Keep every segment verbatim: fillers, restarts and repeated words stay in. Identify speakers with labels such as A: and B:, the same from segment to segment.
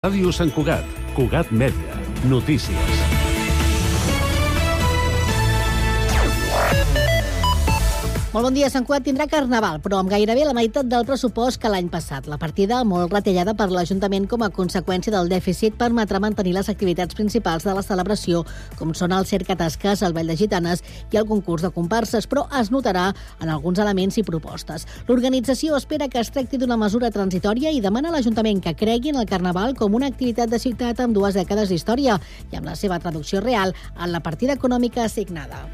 A: Ràdio Sant Cugat, Cugat Mèdia, notícies.
B: Molt bon dia. Sant Cugat tindrà carnaval, però amb gairebé la meitat del pressupost que l'any passat. La partida, molt retallada per l'Ajuntament com a conseqüència del dèficit, permetrà mantenir les activitats principals de la celebració, com són el cercatasques, el ball de gitanes i el concurs de comparses, però es notarà en alguns elements i propostes. L'organització espera que es tracti d'una mesura transitòria i demana a l'Ajuntament que cregui en el carnaval com una activitat de ciutat amb dues dècades d'història i amb la seva traducció real en la partida econòmica assignada.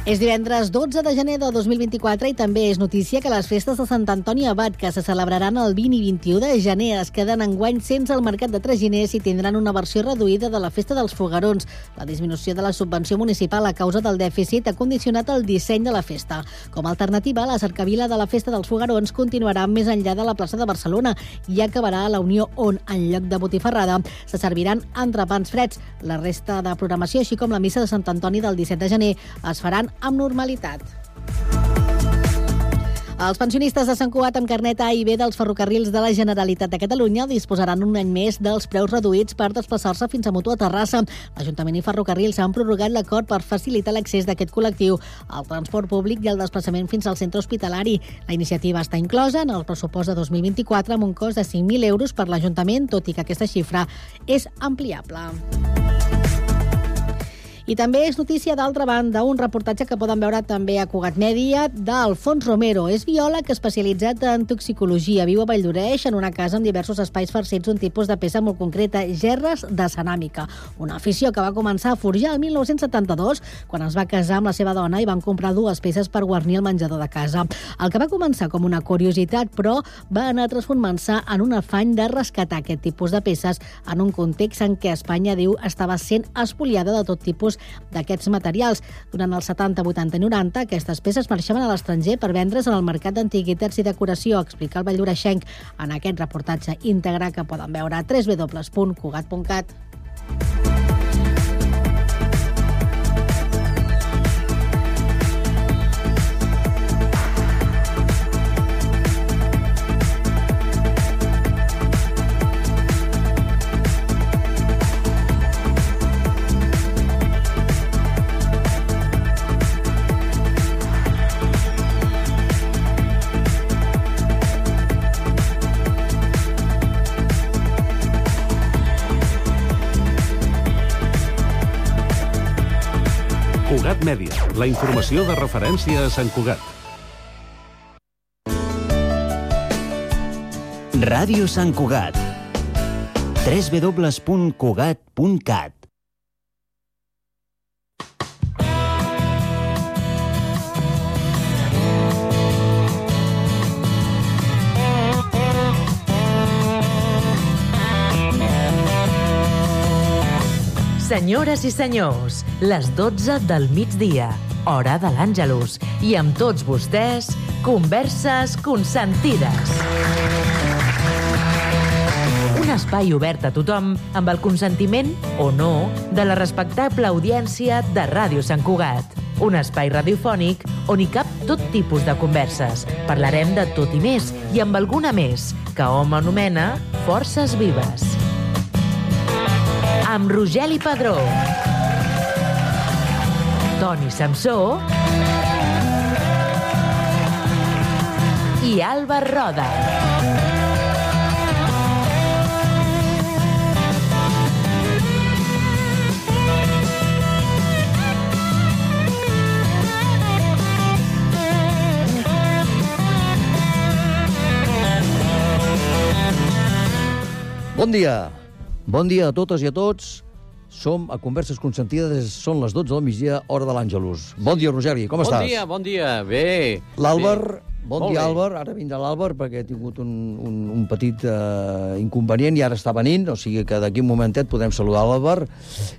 B: És divendres dotze de gener de dos mil vint-i-quatre i també és notícia que les festes de Sant Antoni Abat, que se celebraran el vint i vint-i-u de gener, es queden enguany sense el mercat de traginers i tindran una versió reduïda de la festa dels foguerons. La disminució de la subvenció municipal a causa del dèficit ha condicionat el disseny de la festa. Com a alternativa, la cercavila de la festa dels foguerons continuarà més enllà de la plaça de Barcelona i acabarà a la Unió, on, en lloc de botifarrada, se serviran entrepans freds. La resta de programació, així com la missa de Sant Antoni del disset de gener, es faran amb normalitat. Els pensionistes de Sant Cugat amb carnet A i B dels ferrocarrils de la Generalitat de Catalunya disposaran un any més dels preus reduïts per desplaçar-se fins a Mutu a Terrassa. L'Ajuntament i Ferrocarrils han prorrogat l'acord per facilitar l'accés d'aquest col·lectiu al transport públic i el desplaçament fins al centre hospitalari. La iniciativa està inclosa en el pressupost de dos mil vint-i-quatre amb un cost de cinc mil euros per l'Ajuntament, tot i que aquesta xifra és ampliable. I també és notícia, d'altra banda, un reportatge que poden veure també a Cugat Mèdia d'Alfons Romero. És biòleg especialitzat en toxicologia. Viu a Valldoreix, en una casa amb diversos espais farcits d'un tipus de peça molt concreta, gerres de ceràmica. Una afició que va començar a forjar el mil nou-cents setanta-dos, quan es va casar amb la seva dona i van comprar dues peces per guarnir el menjador de casa. El que va començar com una curiositat, però, va anar transformant-se en un afany de rescatar aquest tipus de peces en un context en què Espanya, diu, estava sent espoliada de tot tipus d'aquests materials. Durant els setanta, vuitanta i noranta, aquestes peces marxaven a l'estranger per vendre's en el mercat d'antiguitats i decoració, explica el valldoreixenc en aquest reportatge íntegre que poden veure a w w w punt cugat punt cat.
A: Cugat Mèdia, la informació de referència a Sant Cugat.
C: Ràdio Sant Cugat. w w w punt cugat punt cat.
D: Senyores i senyors, les dotze del migdia, hora de l'Àngelus, i amb tots vostès, Converses Consentides. Un espai obert a tothom amb el consentiment, o no, de la respectable audiència de Ràdio Sant Cugat. Un espai radiofònic on hi cap tot tipus de converses. Parlarem de tot i més, i amb alguna més, que hom anomena Forces Vives. Amb Rogeli Padró, Toni Samsó i Alba Roda.
E: Bon dia. Bon dia a totes i a tots. Som a Converses Consentides, són les dotze del migdia, hora de l'Àngelus. Bon dia, Rogeri, com
F: bon
E: estàs?
F: Bon dia, bon dia, bé.
E: L'Àlvar, bon
F: Molt
E: dia,
F: bé.
E: Àlvar. Ara vindrà l'Àlvar perquè ha tingut un, un, un petit uh, inconvenient i ara està venint, o sigui que d'aquí un momentet podem saludar l'Àlvar.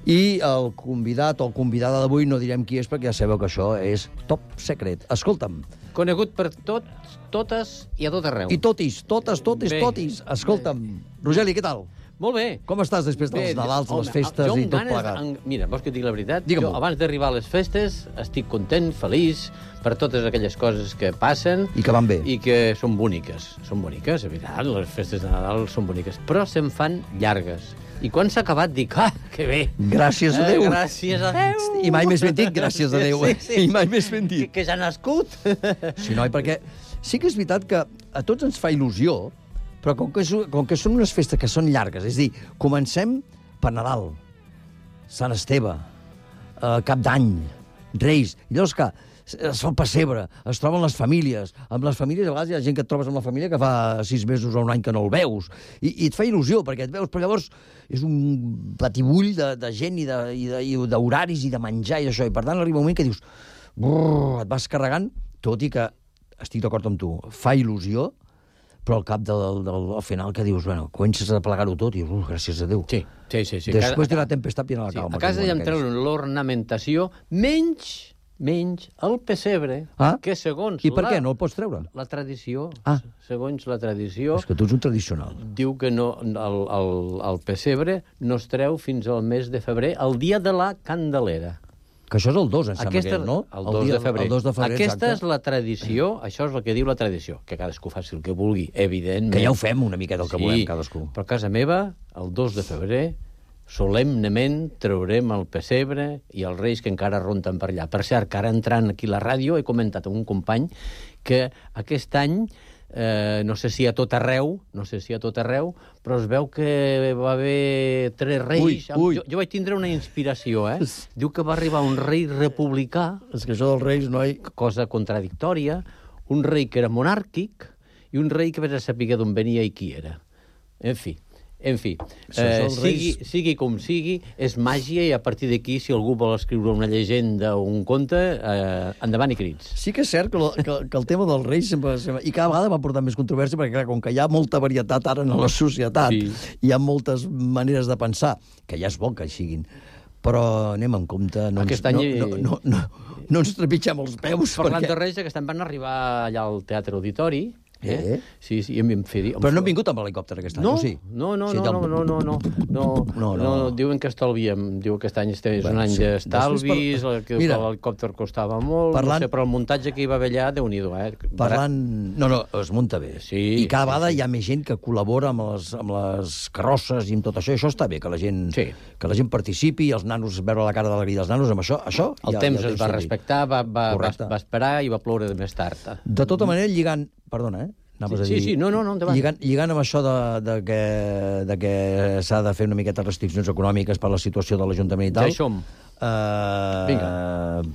E: I el convidat o convidada d'avui no direm qui és perquè ja sabeu que això és top secret. Escolta'm.
F: Conegut per tots, totes i a tot arreu.
E: I totis, totes, totes,
F: Bé.
E: totis. Escolta'm. Rogeli, què tal?
F: Molt bé.
E: Com estàs després dels
F: Bé,
E: Nadals,
F: home,
E: les festes
F: jo amb
E: i tot
F: ganes,
E: plegat?
F: En, mira, vols que et digui la veritat?
E: Digue-m'ho.
F: Jo, abans d'arribar a les festes, estic content, feliç, per totes aquelles coses que passen...
E: I que van bé.
F: I que són boniques. Són boniques, és veritat, les festes de Nadal són boniques, però se'n fan llargues. I quan s'ha acabat dic, ah, que bé.
E: Gràcies a Déu.
F: Eh, gràcies a Déu.
E: I mai més ben dit, gràcies a Déu.
F: Sí, sí.
E: I mai més ben dit.
F: Que, que ja ha nascut.
E: Sí, noi, perquè sí que és veritat que a tots ens fa il·lusió, però com que, és, com que són unes festes que són llargues, és a dir, comencem per Nadal, Sant Esteve, eh, Cap d'Any, Reis, i llavors que es fa el pessebre, es troben les famílies. Amb les famílies, a vegades hi ha gent que et trobes amb la família que fa sis mesos o un any que no el veus. I, i et fa il·lusió, perquè et veus, però llavors és un batibull de, de gent i de- i de- i d'horaris i de menjar i d'això. I per tant arriba un moment que dius, brrr, et vas carregant, tot i que, estic d'acord amb tu, fa il·lusió, però al cap del, del al final que dius, bueno, comences a plegar-ho tot i dius, uh, gràcies a Déu.
F: Sí, sí, sí. sí.
E: Després
F: Cada-
E: de la tempestat viene la
F: Sí,
E: calma.
F: a casa
E: que
F: ja em
E: diuen
F: treuen l'ornamentació, menys, menys el pessebre,
E: Ah?
F: que segons
E: I per
F: la,
E: què? No el pots treure?
F: la tradició,
E: Ah.
F: segons la tradició,
E: És que tu ets un tradicional.
F: diu que no, el, el, el pessebre no es treu fins al mes de febrer, el dia de la Candelera.
E: Que això és el dos, em sembla
F: Aquesta,
E: que és, no?
F: El dos
E: dia-
F: de febrer.
E: El dos de febrer,
F: Aquesta
E: exacte.
F: és la tradició, això és el que diu la tradició, que cadascú faci el que vulgui, evidentment.
E: Que ja ho fem una miqueta el que volem cadascú.
F: Però a casa meva, el dos de febrer, solemnement traurem el pessebre i els reis que encara ronten per allà. Per cert, que ara entrant aquí a la ràdio he comentat amb un company que aquest any, eh, no sé si a tot arreu, no sé si a tot arreu, però es veu que va haver tres reis...
E: Ui, ui.
F: Jo, jo vaig tindre una inspiració, eh? Diu que va arribar un rei republicà,
E: És que això dels reis, noi...
F: cosa contradictòria, un rei que era monàrquic i un rei que vés a saber d'on venia i qui era. En fi, en fi,
E: Això
F: eh,
E: dels
F: sigui,
E: reis-
F: sigui com sigui, és màgia i a partir d'aquí, si algú vol escriure una llegenda o un conte, eh, endavant i crits.
E: Sí que és cert que, lo, que, que el tema dels reis sempre, sempre... I cada vegada va portar més controvèrsia, perquè clar, com que hi ha molta varietat ara en la societat,
F: Sí.
E: hi ha moltes maneres de pensar, que ja és bo que hi siguin, però anem amb compte, no,
F: Aquest
E: ens,
F: any-
E: no, no, no, no, no ens trepitgem els peus,
F: Parlant
E: perquè...
F: de reis, aquest any van arribar allà al Teatre Auditori. Eh?
E: Eh?
F: Sí, sí, i em vam fer dir...
E: Però no han vingut amb l'helicòpter aquest any,
F: No,
E: o sí?
F: no, no,
E: Sí,
F: no,
E: del-
F: no, no, no, no, no,
E: No, no.
F: no, diuen que estalviem, diu que aquest any este és
E: Bueno,
F: un any
E: sí.
F: d'estalvis,
E: Després,
F: que
E: mira,
F: l'helicòpter costava molt,
E: parlant-
F: no sé, però el muntatge que hi va haver allà, Déu-n'hi-do, eh?
E: Parlant... No, no, es munta bé.
F: Sí,
E: I cada
F: sí,
E: vegada
F: sí.
E: hi ha més gent que col·labora amb les, amb les carrosses i amb tot això. I això està bé, que la gent,
F: Sí.
E: que la gent participi, i els nanos, veure la cara d'alegria dels nanos, amb això, això
F: El
E: ja,
F: temps
E: ja
F: es va
E: servit.
F: respectar, va, va, va,
E: Correcte.
F: va esperar i va ploure de més tard.
E: De tota manera, lligant... Perdona, eh? Anaves
F: Sí,
E: a dir...
F: sí, sí, no, no, no, endavant.
E: Lligant, lligant amb això de, de que, de que s'ha de fer una miqueta restriccions econòmiques per la situació de l'Ajuntament i tal...
F: Ja hi som.
E: Uh,
F: Vinga.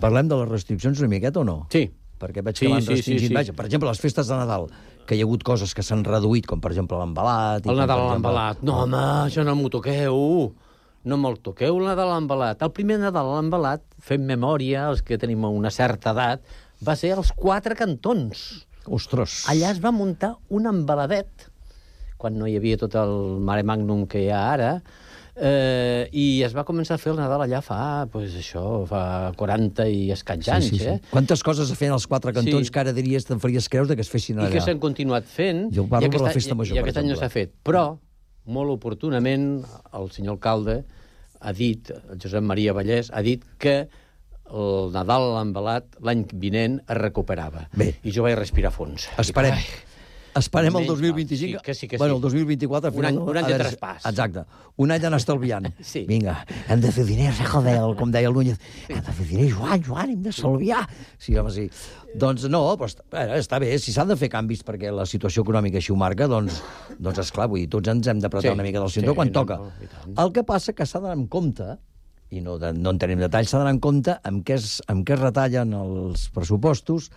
E: Parlem de les restriccions una miqueta o no?
F: Sí.
E: Perquè veig
F: Sí,
E: que van
F: sí, sí,
E: restringint...
F: sí.
E: Vaja, per exemple, les festes de Nadal, que hi ha hagut coses que s'han reduït, com per exemple l'embalat... i
F: El
E: com,
F: Nadal
E: per
F: a
E: exemple-
F: l'embalat. No, home, això no m'ho toqueu. No me'l toqueu, el Nadal a l'embalat. El primer Nadal a l'embalat, fem memòria, els que tenim una certa edat, va ser als Quatre Cantons.
E: Ostres!
F: Allà es va muntar un embaladet, quan no hi havia tot el mare magnum que hi ha ara, eh, i es va començar a fer el Nadal allà fa, pues, això, fa quaranta i escaig anys,
E: sí, sí, sí.
F: eh?
E: Quantes coses es feien als Quatre Cantons
F: Sí.
E: que ara diries te'n faries creus de que es fessin
F: I
E: allà?
F: que s'han continuat fent.
E: Jo parlo
F: i aquest
E: de la
F: any-
E: festa major,
F: I
E: per
F: aquest any no
E: exemple.
F: s'ha fet. Però, molt oportunament, el senyor alcalde ha dit, el Josep Maria Vallès, ha dit que el Nadal a l'embalat l'any vinent es recuperava.
E: Bé.
F: I jo vaig respirar fons.
E: Esperem.
F: Ai,
E: Esperem el
F: Menys
E: dos mil
F: mal.
E: vint-i-cinc.
F: Sí, que sí, que
E: bueno,
F: sí.
E: el dos mil vint-i-quatre... al
F: Un any-
E: final,
F: un any
E: a
F: de
E: veure,
F: traspàs.
E: Exacte. Un any d'anar estalviant.
F: Sí.
E: Vinga, hem de fer diners, eh, joder, com deia el Núñez. Hem de fer diners, Joan, Joan, hem d'estalviar. Sí, home, sí. Doncs no, però està, veure, està bé. Si s'han de fer canvis perquè la situació econòmica així ho marca, doncs, doncs esclar, vull dir, tots ens hem d'apretar
F: Sí.
E: una mica del cinturó
F: Sí,
E: quan
F: no,
E: toca.
F: no, i tant.
E: El que passa que s'ha d'anar en compte, i no, de, no en tenim detalls, s'ha d'anar en compte amb què, es, amb què es retallen els pressupostos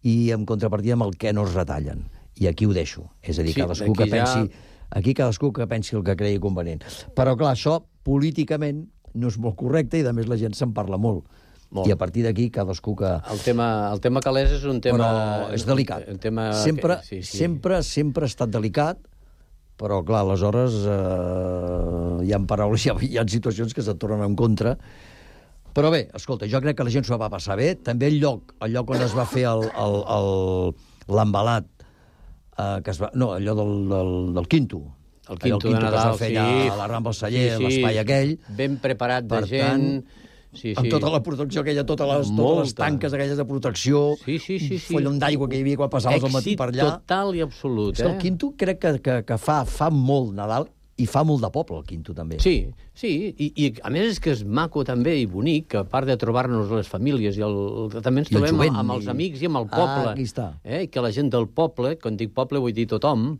E: i en contrapartida amb el què no es retallen. I aquí ho deixo. És a dir,
F: Sí,
E: cadascú que
F: d'aquí ja-
E: pensi... Aquí cadascú que pensi el que cregui convenient. Però, clar, això políticament no és molt correcte i, a més, la gent se'n parla molt.
F: Molt.
E: I a partir d'aquí, cadascú que...
F: El tema, el tema calés és un tema...
E: Però és delicat.
F: Un tema
E: Sempre,
F: que, sí, sí.
E: sempre, sempre ha estat delicat, però, clar, aleshores eh, hi ha paraules, hi ha, hi ha situacions que se't tornen en contra. Però bé, escolta, jo crec que la gent s'ho va passar bé. També el lloc, el lloc on es va fer el- el- el- l'embalat, eh, que es va, no, allò del, del, del Quinto,
F: El quinto,
E: el quinto
F: de Nadal,
E: que es feia
F: sí.
E: a la Rambla Celler,
F: Sí, sí.
E: l'espai aquell.
F: Ben preparat de
E: Per
F: gent...
E: tant,
F: Sí, sí.
E: amb tota la protecció aquella, totes les, totes
F: Molta.
E: les tanques aquelles de protecció,
F: Sí, sí, sí, sí.
E: follon d'aigua que hi havia quan passaves el matí
F: Èxit
E: per allà.
F: total i absolut,
E: És que el
F: eh?
E: Quinto crec que, que, que fa, fa molt Nadal i fa molt de poble, el Quinto, també.
F: Sí, sí, i, i a més és que és maco també i bonic, que a part de trobar-nos les famílies, i el, també ens
E: I el
F: trobem
E: jovent,
F: amb els
E: i-
F: amics i amb el poble.
E: Ah, aquí està.
F: Eh? I que la gent del poble, quan dic poble vull dir tothom,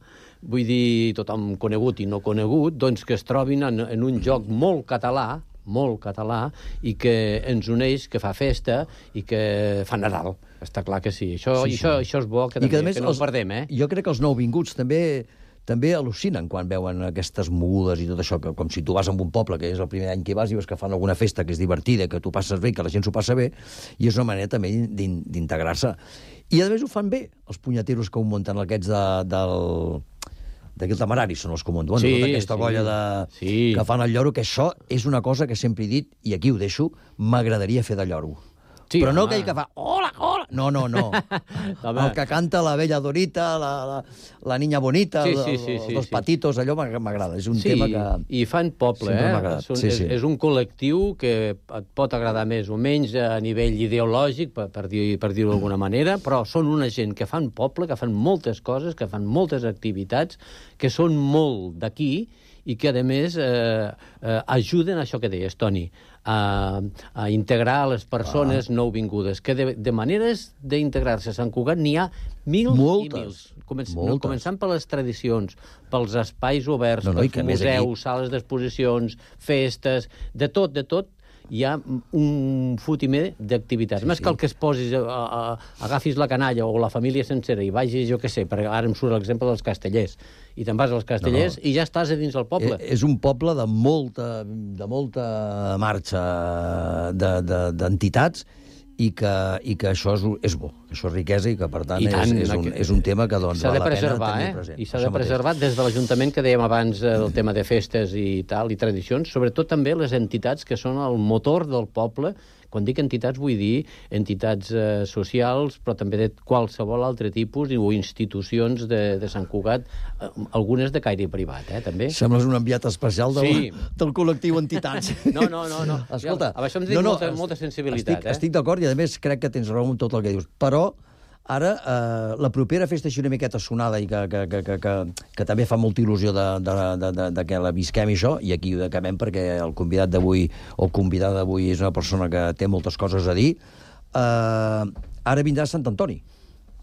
F: vull dir tothom conegut i no conegut, doncs que es trobin en, en un joc molt català, molt català, i que ens uneix, que fa festa i que fa Nadal. Està clar que sí. Això,
E: Sí,
F: sí,
E: sí.
F: Això, això és bo, que,
E: I
F: també,
E: que, a més,
F: que no
E: els-
F: ho perdem, eh?
E: Jo crec que els nouvinguts també també al·lucinen quan veuen aquestes mogudes i tot això, que com si tu vas a un poble, que és el primer any que hi vas, i veus que fan alguna festa que és divertida, que tu passes bé, que la gent s'ho passa bé, i és una manera també d'in- d'integrar-se. I a més ho fan bé, els punyeteros que ho munten aquests de, del... d'aquí el Temerari són els que ho munten, bueno,
F: Sí,
E: tota aquesta
F: sí.
E: colla de...
F: Sí.
E: que fan el lloro, que això és una cosa que sempre he dit, i aquí ho deixo, m'agradaria fer de lloro.
F: Sí,
E: Però no
F: home.
E: aquell que fa hola, hola, no, no, no.
F: Home.
E: El que canta la bella Dorita, la, la, la niña bonita,
F: Sí,
E: el-
F: sí, sí,
E: els
F: sí,
E: dos
F: sí.
E: patitos, allò m'ag- m'agrada. És un
F: sí,
E: tema que...
F: i fan poble,
E: sempre m'ha
F: eh?
E: agradat.
F: Són,
E: Sí, sí.
F: És, és un col·lectiu que et pot agradar més o menys a nivell ideològic, per, per dir- per dir-ho d'alguna manera, però són una gent que fan poble, que fan moltes coses, que fan moltes activitats, que són molt d'aquí i que, a més, eh, eh, ajuden a això que deies, Toni, a, a integrar les persones ah. nouvingudes, que de, de maneres d'integrar-se a Sant Cugat n'hi ha mil
E: Moltes,
F: i mils. Començ,
E: moltes.
F: Començant per les tradicions, pels espais oberts,
E: No, no, i
F: pels
E: que a més
F: museus,
E: aquí-
F: sales d'exposicions, festes, de tot, de tot, hi ha un fotimer d'activitats.
E: Sí,
F: Més
E: sí.
F: que el que es posis, a, a, agafis la canalla o la família sencera i vagis, jo què sé, perquè ara em surt l'exemple dels castellers, i te'n vas als castellers
E: No, no.
F: i ja estàs a dins del poble.
E: Eh, és un poble de molta, de molta marxa de- de- d'entitats i que, i que això és, és bo, que això és riquesa i que, per tant,
F: I tant,
E: és, és, un, és un tema que doncs,
F: s'ha
E: val
F: de
E: la pena
F: preservar,
E: tenir
F: eh?
E: present.
F: I s'ha
E: Això
F: de
E: mateix.
F: preservar des de l'Ajuntament, que dèiem abans, eh, del tema de festes i tal, i tradicions, sobretot també les entitats que són el motor del poble. Quan dic entitats vull dir entitats eh, socials, però també de qualsevol altre tipus, o institucions de, de Sant Cugat, eh, algunes de caire privat, eh, també.
E: Sembles un enviat especial del,
F: Sí.
E: del col·lectiu entitats.
F: No, no, no, no.
E: Escolta,
F: Amb això em dic molta- molta sensibilitat,
E: estic,
F: eh?
E: Estic d'acord i, a més, crec que tens raó en tot el que dius. Però ara, eh, la propera festa així una miqueta sonada i que, que, que, que, que, que també fa molta il·lusió de, de, de, de, de que la visquem i això, i aquí ho acabem perquè el convidat d'avui, o convidada d'avui, és una persona que té moltes coses a dir, eh, ara vindrà Sant Antoni,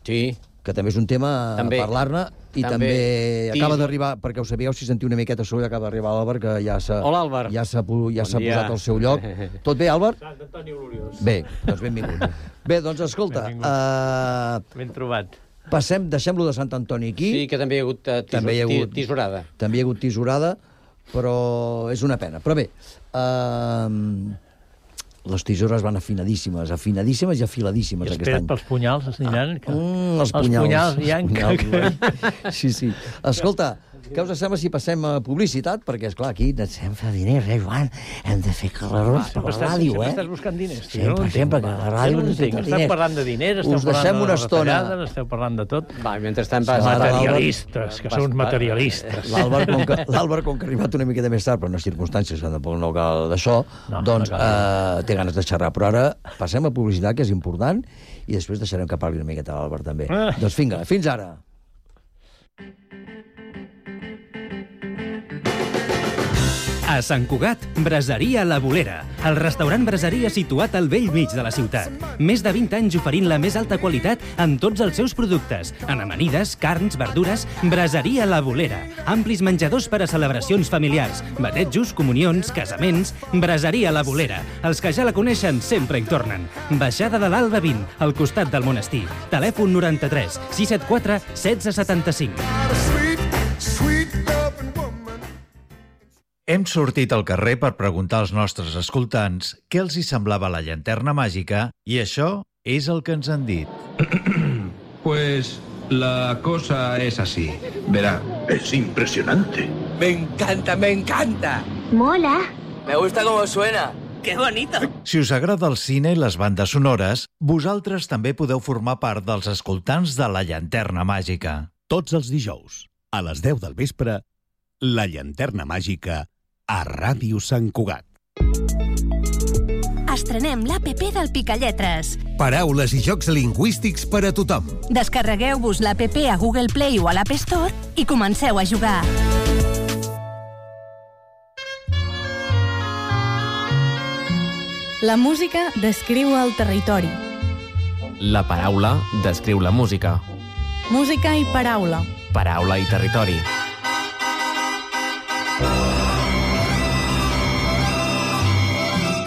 F: Sí.
E: que també és un tema
F: També.
E: a parlar-ne, i
F: També.
E: també,
F: Tis-
E: acaba d'arribar, perquè ho sabíeu, si sentiu una miqueta soroll, acaba d'arribar l'Àlvar, que ja s'ha
F: Hola, Àlvar.
E: ja s'ha pu- ja
F: Bon
E: s'ha
F: dia.
E: posat al seu lloc. Tot bé, Àlvar?
G: Sant Antoni Gloriós.
E: Bé, doncs benvingut. Bé, doncs escolta, uh,
G: Ben trobat.
E: passem, deixem-lo de Sant Antoni aquí.
F: Sí, que també hi ha hagut, eh, tisor,
E: També hi ha hagut-
F: tisorada.
E: També hi ha hagut tisorada, però és una pena. Però bé, uh, les tisores van afinadíssimes, afinadíssimes i afiladíssimes
G: I
E: aquest
G: espera't
E: any.
G: pels punyals, es aniran. Que...
E: Mm, els
G: els
E: punyals.
G: punyals, ja en-
E: Els punyals, sí, sí. Escolta, què us sembla si passem a publicitat? Perquè, esclar, aquí necessitem fer diners, eh, Joan? Hem de fer carrerons per la
G: Sempre estàs,
E: ràdio,
G: sempre
E: eh?
G: estàs buscant diners. tio,
E: Sempre,
G: no ho entenc,
E: sempre,
G: va.
E: que la
G: Jo
E: ràdio
G: no ho
E: necessita
G: entenc.
E: diners.
G: Esteu parlant de diners, esteu
E: Us deixem
G: parlant de
E: una
G: les
E: estona.
G: retallades, esteu parlant de tot.
F: Va, mentrestant vas...
E: Ara,
G: Materialistes, que
F: vas-
G: són
F: vas-
G: materialistes.
E: L'Àlvar, com, que, l'Àlvar, com que ha arribat una miqueta més tard, per unes circumstàncies que tampoc no cal d'això,
G: No,
E: doncs
G: no
E: eh, té ganes de xerrar. Però ara passem a publicitat, que és important, i després deixarem que parli una miqueta l'Àlvar, també.
G: Ah.
E: Doncs vinga, fins ara.
H: A Sant Cugat, Braseria La Bolera, el restaurant braseria situat al vell mig de la ciutat. Més de vint anys oferint la més alta qualitat en tots els seus productes, en amanides, carns, verdures. Braseria La Bolera, amplis menjadors per a celebracions familiars, batejos, comunions, casaments. Braseria La Bolera, els que ja la coneixen sempre hi tornen. Baixada de l'Alba vint, al costat del monestir. Telèfon noranta-tres sis set quatre setze setanta-cinc.
I: Hem sortit al carrer per preguntar als nostres escoltants què els hi semblava la llanterna màgica i això és el que ens han dit.
J: Pues la cosa es así. Verá.
K: Es impresionante.
L: Me encanta, me encanta.
M: Mola.
L: Me gusta cómo suena. ¡Qué bonito!
I: Si us agrada el cine i les bandes sonores, vosaltres també podeu formar part dels escoltants de la llanterna màgica.
A: Tots els dijous, a les deu del vespre, La llanterna màgica a Ràdio Sant Cugat.
M: Estrenem l'A P P del Picalletres.
N: Paraules i jocs lingüístics per a tothom.
M: Descarregueu-vos l'A P P a Google Play o a l'App Store i comenceu a jugar.
O: La música descriu el territori.
P: La paraula descriu la música.
O: Música i paraula.
P: Paraula i territori.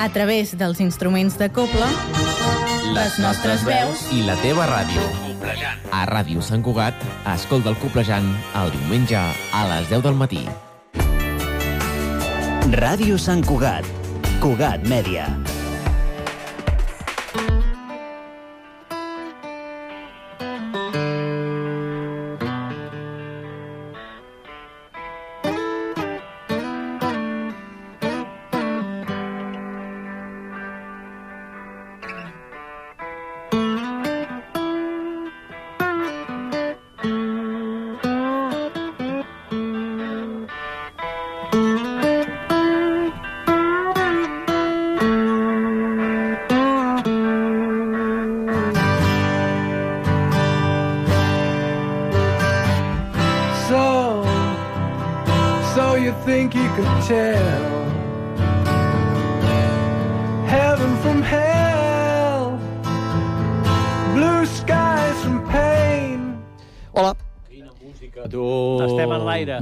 O: A través dels instruments de cobla, les nostres veus
P: i la teva ràdio. A Ràdio Sant Cugat, escolta el Coplejant el diumenge a les deu del matí.
C: Ràdio Sant Cugat. Cugat Mèdia.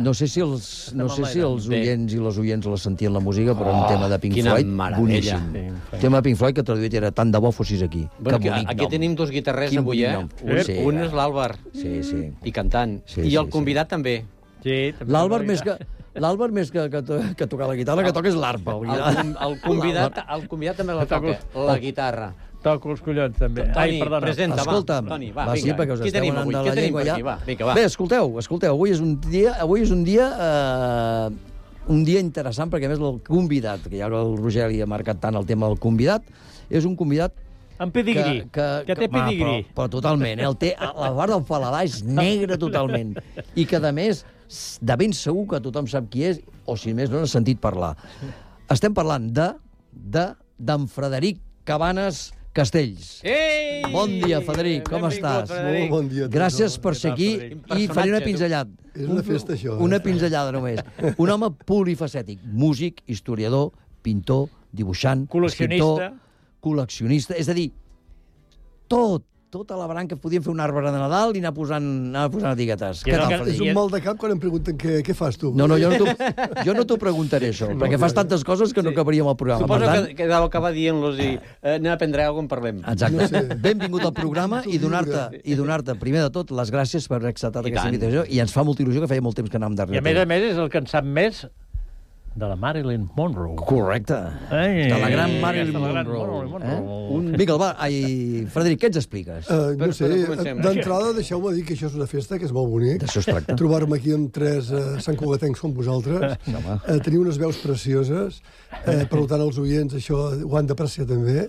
E: No sé si els, no sé si els oients i les oients la sentien la música, però oh, un tema de Pink Floyd boníssim. Un tema de Pink Floyd que traduït era tant de bo fossis aquí.
F: Bueno, que bonic aquí nom. Tenim dos guitarrers avui, eh? Un, sí, un és l'Àlvar, sí, sí. I cantant. Sí, I el sí, convidat sí. també.
E: Sí, L'Àlvar més que... L'Àlvar, més que, que, to, que tocar la guitarra, que toca és l'arpa.
F: El, el, el, convidat, el convidat també la toca, la guitarra.
G: Toco els collons, també.
F: Toni, Ai, perdona. Presenta,
E: Escolta'm,
F: va. Toni, va,
E: va,
F: vinga.
E: Sí, perquè us
F: Qui
E: esteu
F: tenim avui?
E: anant de la llengua ja.
F: Va, vinga, va.
E: Bé, escolteu, escolteu, avui és un dia, avui és un dia, eh, un dia interessant, perquè a més el convidat, que ja el Roger li ha marcat tant el tema del convidat, és un convidat
G: en pedigrí, que, que,
E: que
G: té pedigrí.
E: Però, però totalment, eh? El té, la part del paladar és negre totalment. I que, a més, de ben segur que tothom sap qui és, o si més no n'ha sentit parlar. Estem parlant de de d'en Frederic Cabanes Castells.
F: Ei!
E: Bon dia, Frederic, com estàs?
Q: Molt bon dia.
E: Gràcies per ser aquí i faré una pinzellada.
Q: És una festa, això.
E: Una pinzellada, només. Un home polifacètic, músic, historiador, pintor, dibuixant,
G: col·leccionista,
E: col·leccionista, és a dir, tot, tota la branca, podíem fer un arbre de Nadal i anar posant, anar posant etiquetes. Què tal, Frederic?
Q: És un mal de cap quan em pregunten què, què fas tu.
E: No, no, jo no t'ho preguntaré, això, no, perquè fas tantes coses que sí. no caparíem al programa.
F: Suposo tant... que, que deu acabar dient-los i eh, anem a prendre alguna cosa en parlem.
E: Exacte. No sé. Benvingut al programa i donar-te, i donar-te, primer de tot, les gràcies per haver acceptat aquesta invitació, i ens fa molta il·lusió que feia molt temps que anàvem darrere.
G: I a més a més és el que en sap més de la Marilyn Monroe.
E: Correcte.
G: Ai,
E: de la gran Marilyn
G: la
E: Monroe.
G: Gran Monroe.
E: Eh? Un... Vinga, va, ai, Frederic, què ens expliques?
Q: Uh, no sé, d'entrada deixeu-me dir que això és una festa, que és molt bonic.
E: D'això es tracta.
Q: Trobar-me aquí amb tres uh, santcugatencs com vosaltres. Uh, teniu unes veus precioses, uh, per tant els oients això ho han d'apreciar també,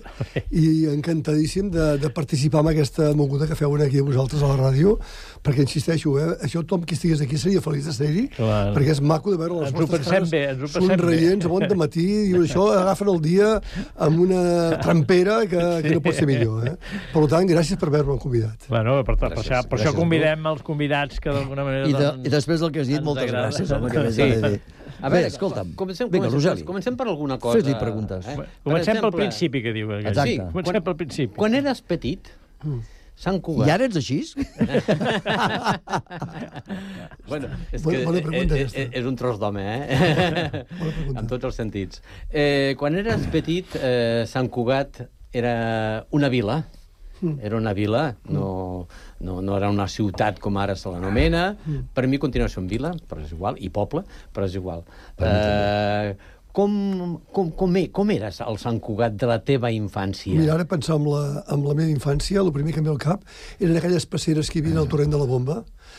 Q: i encantadíssim de, de participar en aquesta moguda que feu aquí a vosaltres a la ràdio, perquè insisteixo, eh, això tothom qui estigués aquí seria feliç de ser-hi, perquè és maco de veure les
G: ens
Q: vostres cares
G: bé, ens
Q: somreients a bon de matí, i això agafen el dia amb una trampera que, que no pot ser millor. Eh? Per tant, gràcies per haver-me convidat.
G: Bueno, per, per, gràcies, per, per això convidem els convidats que d'alguna manera...
E: I, de, I després del que has dit, moltes agrada. Gràcies, home, que més sí. de dir. A veure, escolta'm,
F: comencem,
E: vinga,
F: comencem, comencem per alguna cosa.
E: Fes-li preguntes.
G: Eh? Comencem pel principi, que diu.
E: Exacte.
G: Sí, comencem pel principi.
F: Quan eres petit, Sant Cugat...
E: I ara ets així?
F: bueno, és que bona pregunta, és, és, és un tros d'home, eh? En tots els sentits. Eh, quan eres petit, eh, Sant Cugat era una vila. Era una vila, no, no, no era una ciutat com ara se l'anomena. Per mi continua sent vila, però és igual, i poble, però és igual. Eh, Com, com, com, com eres el Sant Cugat de la teva infància?
Q: Mira, ara pensar en la, en la meva infància, el primer que em ve al cap eren aquelles passeres que hi havia al torrent de la Bomba,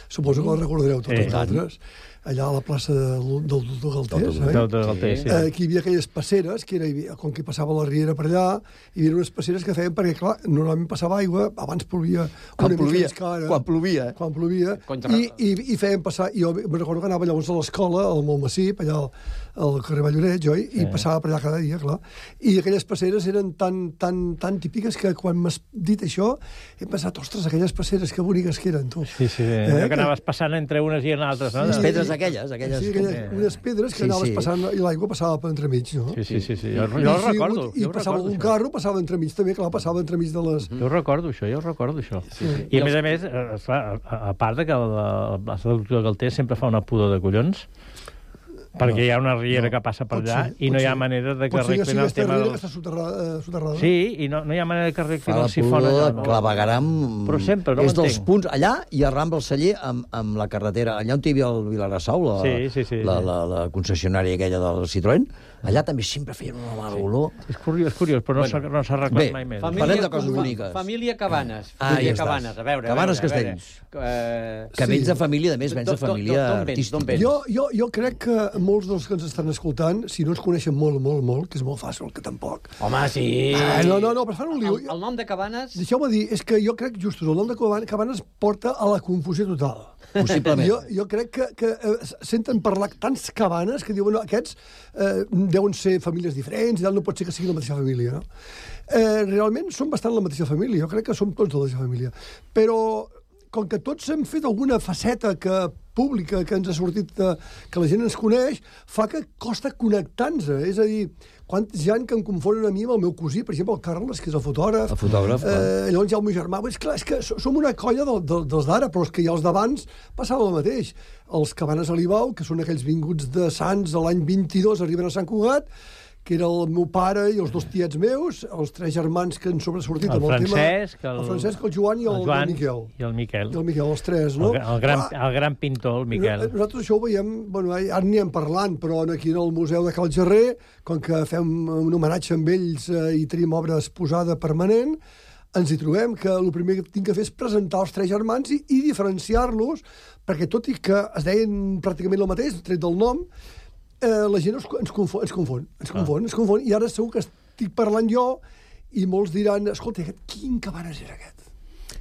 Q: Suposo que la recordareu tots
G: Sí.
Q: vosaltres. Allà a la plaça del del doctor Galtés, eh?
G: Del doctor Galtés, sí.
Q: Aquí hi havia aquelles passeres, que era, com que passava la riera per allà, hi havia unes passeres que feien perquè, clar, normalment passava aigua, abans plovia
E: Quan
Q: una mica
E: plovia,
Q: més que ara.
E: quan plovia.
Q: Quan plovia,
F: Contra-
Q: i, i, i feien passar... I jo me recordo que anava llavors a l'escola, al Montmassip, allà al, al carrer Valloreig, oi? I
G: Sí.
Q: passava per allà cada dia, clar. I aquelles passeres eren tan, tan, tan típiques que quan m'has dit això he pensat, ostres, aquelles passeres, que boniques que eren, tu.
G: Sí, sí, eh? que anaves passant entre unes i altres, no?
E: Les
G: De-
E: pedres aquelles, aquelles...
Q: Sí, aquelles, unes pedres que
E: Sí,
Q: anaves
E: sí.
Q: passant i l'aigua passava per entremig, no?
G: Sí, sí, sí, sí. Jo, jo
Q: I,
G: ho
Q: si
G: recordo.
Q: I
G: jo ho
Q: passava
G: recordo,
Q: un
G: això.
Q: carro, passava entremig també, clar, passava entremig de les...
G: Jo ho recordo, això, jo ho recordo, això. Sí, sí. I, a més a més, eh, esclar, a, a part de que la, la plaça del doctor Galtés sempre fa una pudor de collons, perquè
Q: No,
G: hi ha una riera
Q: no,
G: que passa per
Q: pot
G: allà
Q: ser,
G: i
Q: pot
G: no hi ha
Q: ser.
G: manera de que
Q: Pot ser que
G: arreglin
Q: sigui
G: el
Q: aquesta
G: tema
Q: riera
G: del...
Q: que està soterrada. Eh, soterrada.
G: Sí, i no, no hi ha manera que arreglin
E: Fa
G: el
E: la
G: sifon.
E: pudor
G: allà,
E: de
G: no?
E: clavegaram...
G: Però sempre, no
E: és dels
G: m'entenc.
E: punts... Allà i a Rambla el Celler amb, amb la carretera. Allà on hi havia el Vilarassau, la,
G: Sí, sí, sí,
E: la,
G: sí.
E: la, la concessionària aquella del Citroën, allà també sempre feien una mala olor.
G: És curiós, és curiós, però no s'ha no s'ha arreglat
E: Bé,
G: mai més.
E: Parlem de coses boniques.
F: Família Cabanes.
E: Ah,
F: Família
E: ja estàs.
F: Cabanes, a veure.
E: Cabanes
F: a veure, a veure.
E: Castells.
F: Eh,
E: Que vens de família, a més, vens de
F: D'on- d'on-
E: família
F: d'on vens,
E: artística.
F: d'on vens?
Q: Jo, jo, jo crec que molts dels que ens estan escoltant, si no ens coneixen molt, molt, molt, que és molt fàcil, que tampoc...
F: Home, sí.
Q: Ah, no, no, no, però fan un liu.
F: El, el nom de Cabanes...
Q: Deixeu-me dir, és que jo crec, justos, el nom de Cabanes, Cabanes porta a la confusió total.
E: Possiblement.
Q: Jo, jo crec que, que eh, senten parlar tants cabanes que diuen, no, aquests eh, deuen ser famílies diferents, i tal, no pot ser que sigui la mateixa família, no? Eh, realment són bastant la mateixa família, jo crec que som tots de la mateixa família. Però, com que tots hem fet alguna faceta que pública que ens ha sortit, de, que la gent ens coneix, fa que costa connectar-nos. És a dir, quants hi ha que em confonen a mi amb el meu cosí, per exemple, el Carles, que és el fotògraf.
E: El fotògraf, clar.
Q: Eh, llavors hi ha el meu germà. És clar, és que so- som una colla del, del, dels d'ara, però és que ja els d'abans passava el mateix. Els Cabanes Alibau, que són aquells vinguts de Sants a l'any vint-i-dos, arriben a Sant Cugat, que era el meu pare i els dos tiets meus, els tres germans que han sobresortit
G: El
Q: amb el
G: Francesc,
Q: tema...
G: el-
Q: El Francesc, el Joan i el,
G: el Joan
Q: el Miquel.
G: i el Miquel.
Q: I el Miquel, els tres, no?
G: El, el, gran,
Q: Clar,
G: el gran pintor, el Miquel.
Q: no- Nosaltres això ho veiem, bueno, ara n'hi hem parlant, però aquí en el Museu de Cal Gerrer, com que fem un homenatge amb ells eh, i tenim obra exposada permanent, ens hi trobem que el primer que tinc que fer és presentar els tres germans i, i diferenciar-los, perquè tot i que es deien pràcticament el mateix, tret del nom, eh, la gent ens, ens, confon, ens confon, ens confon, ens confon, i ara segur que estic parlant jo i molts diran, escolta, aquest, quin Cabanes era aquest?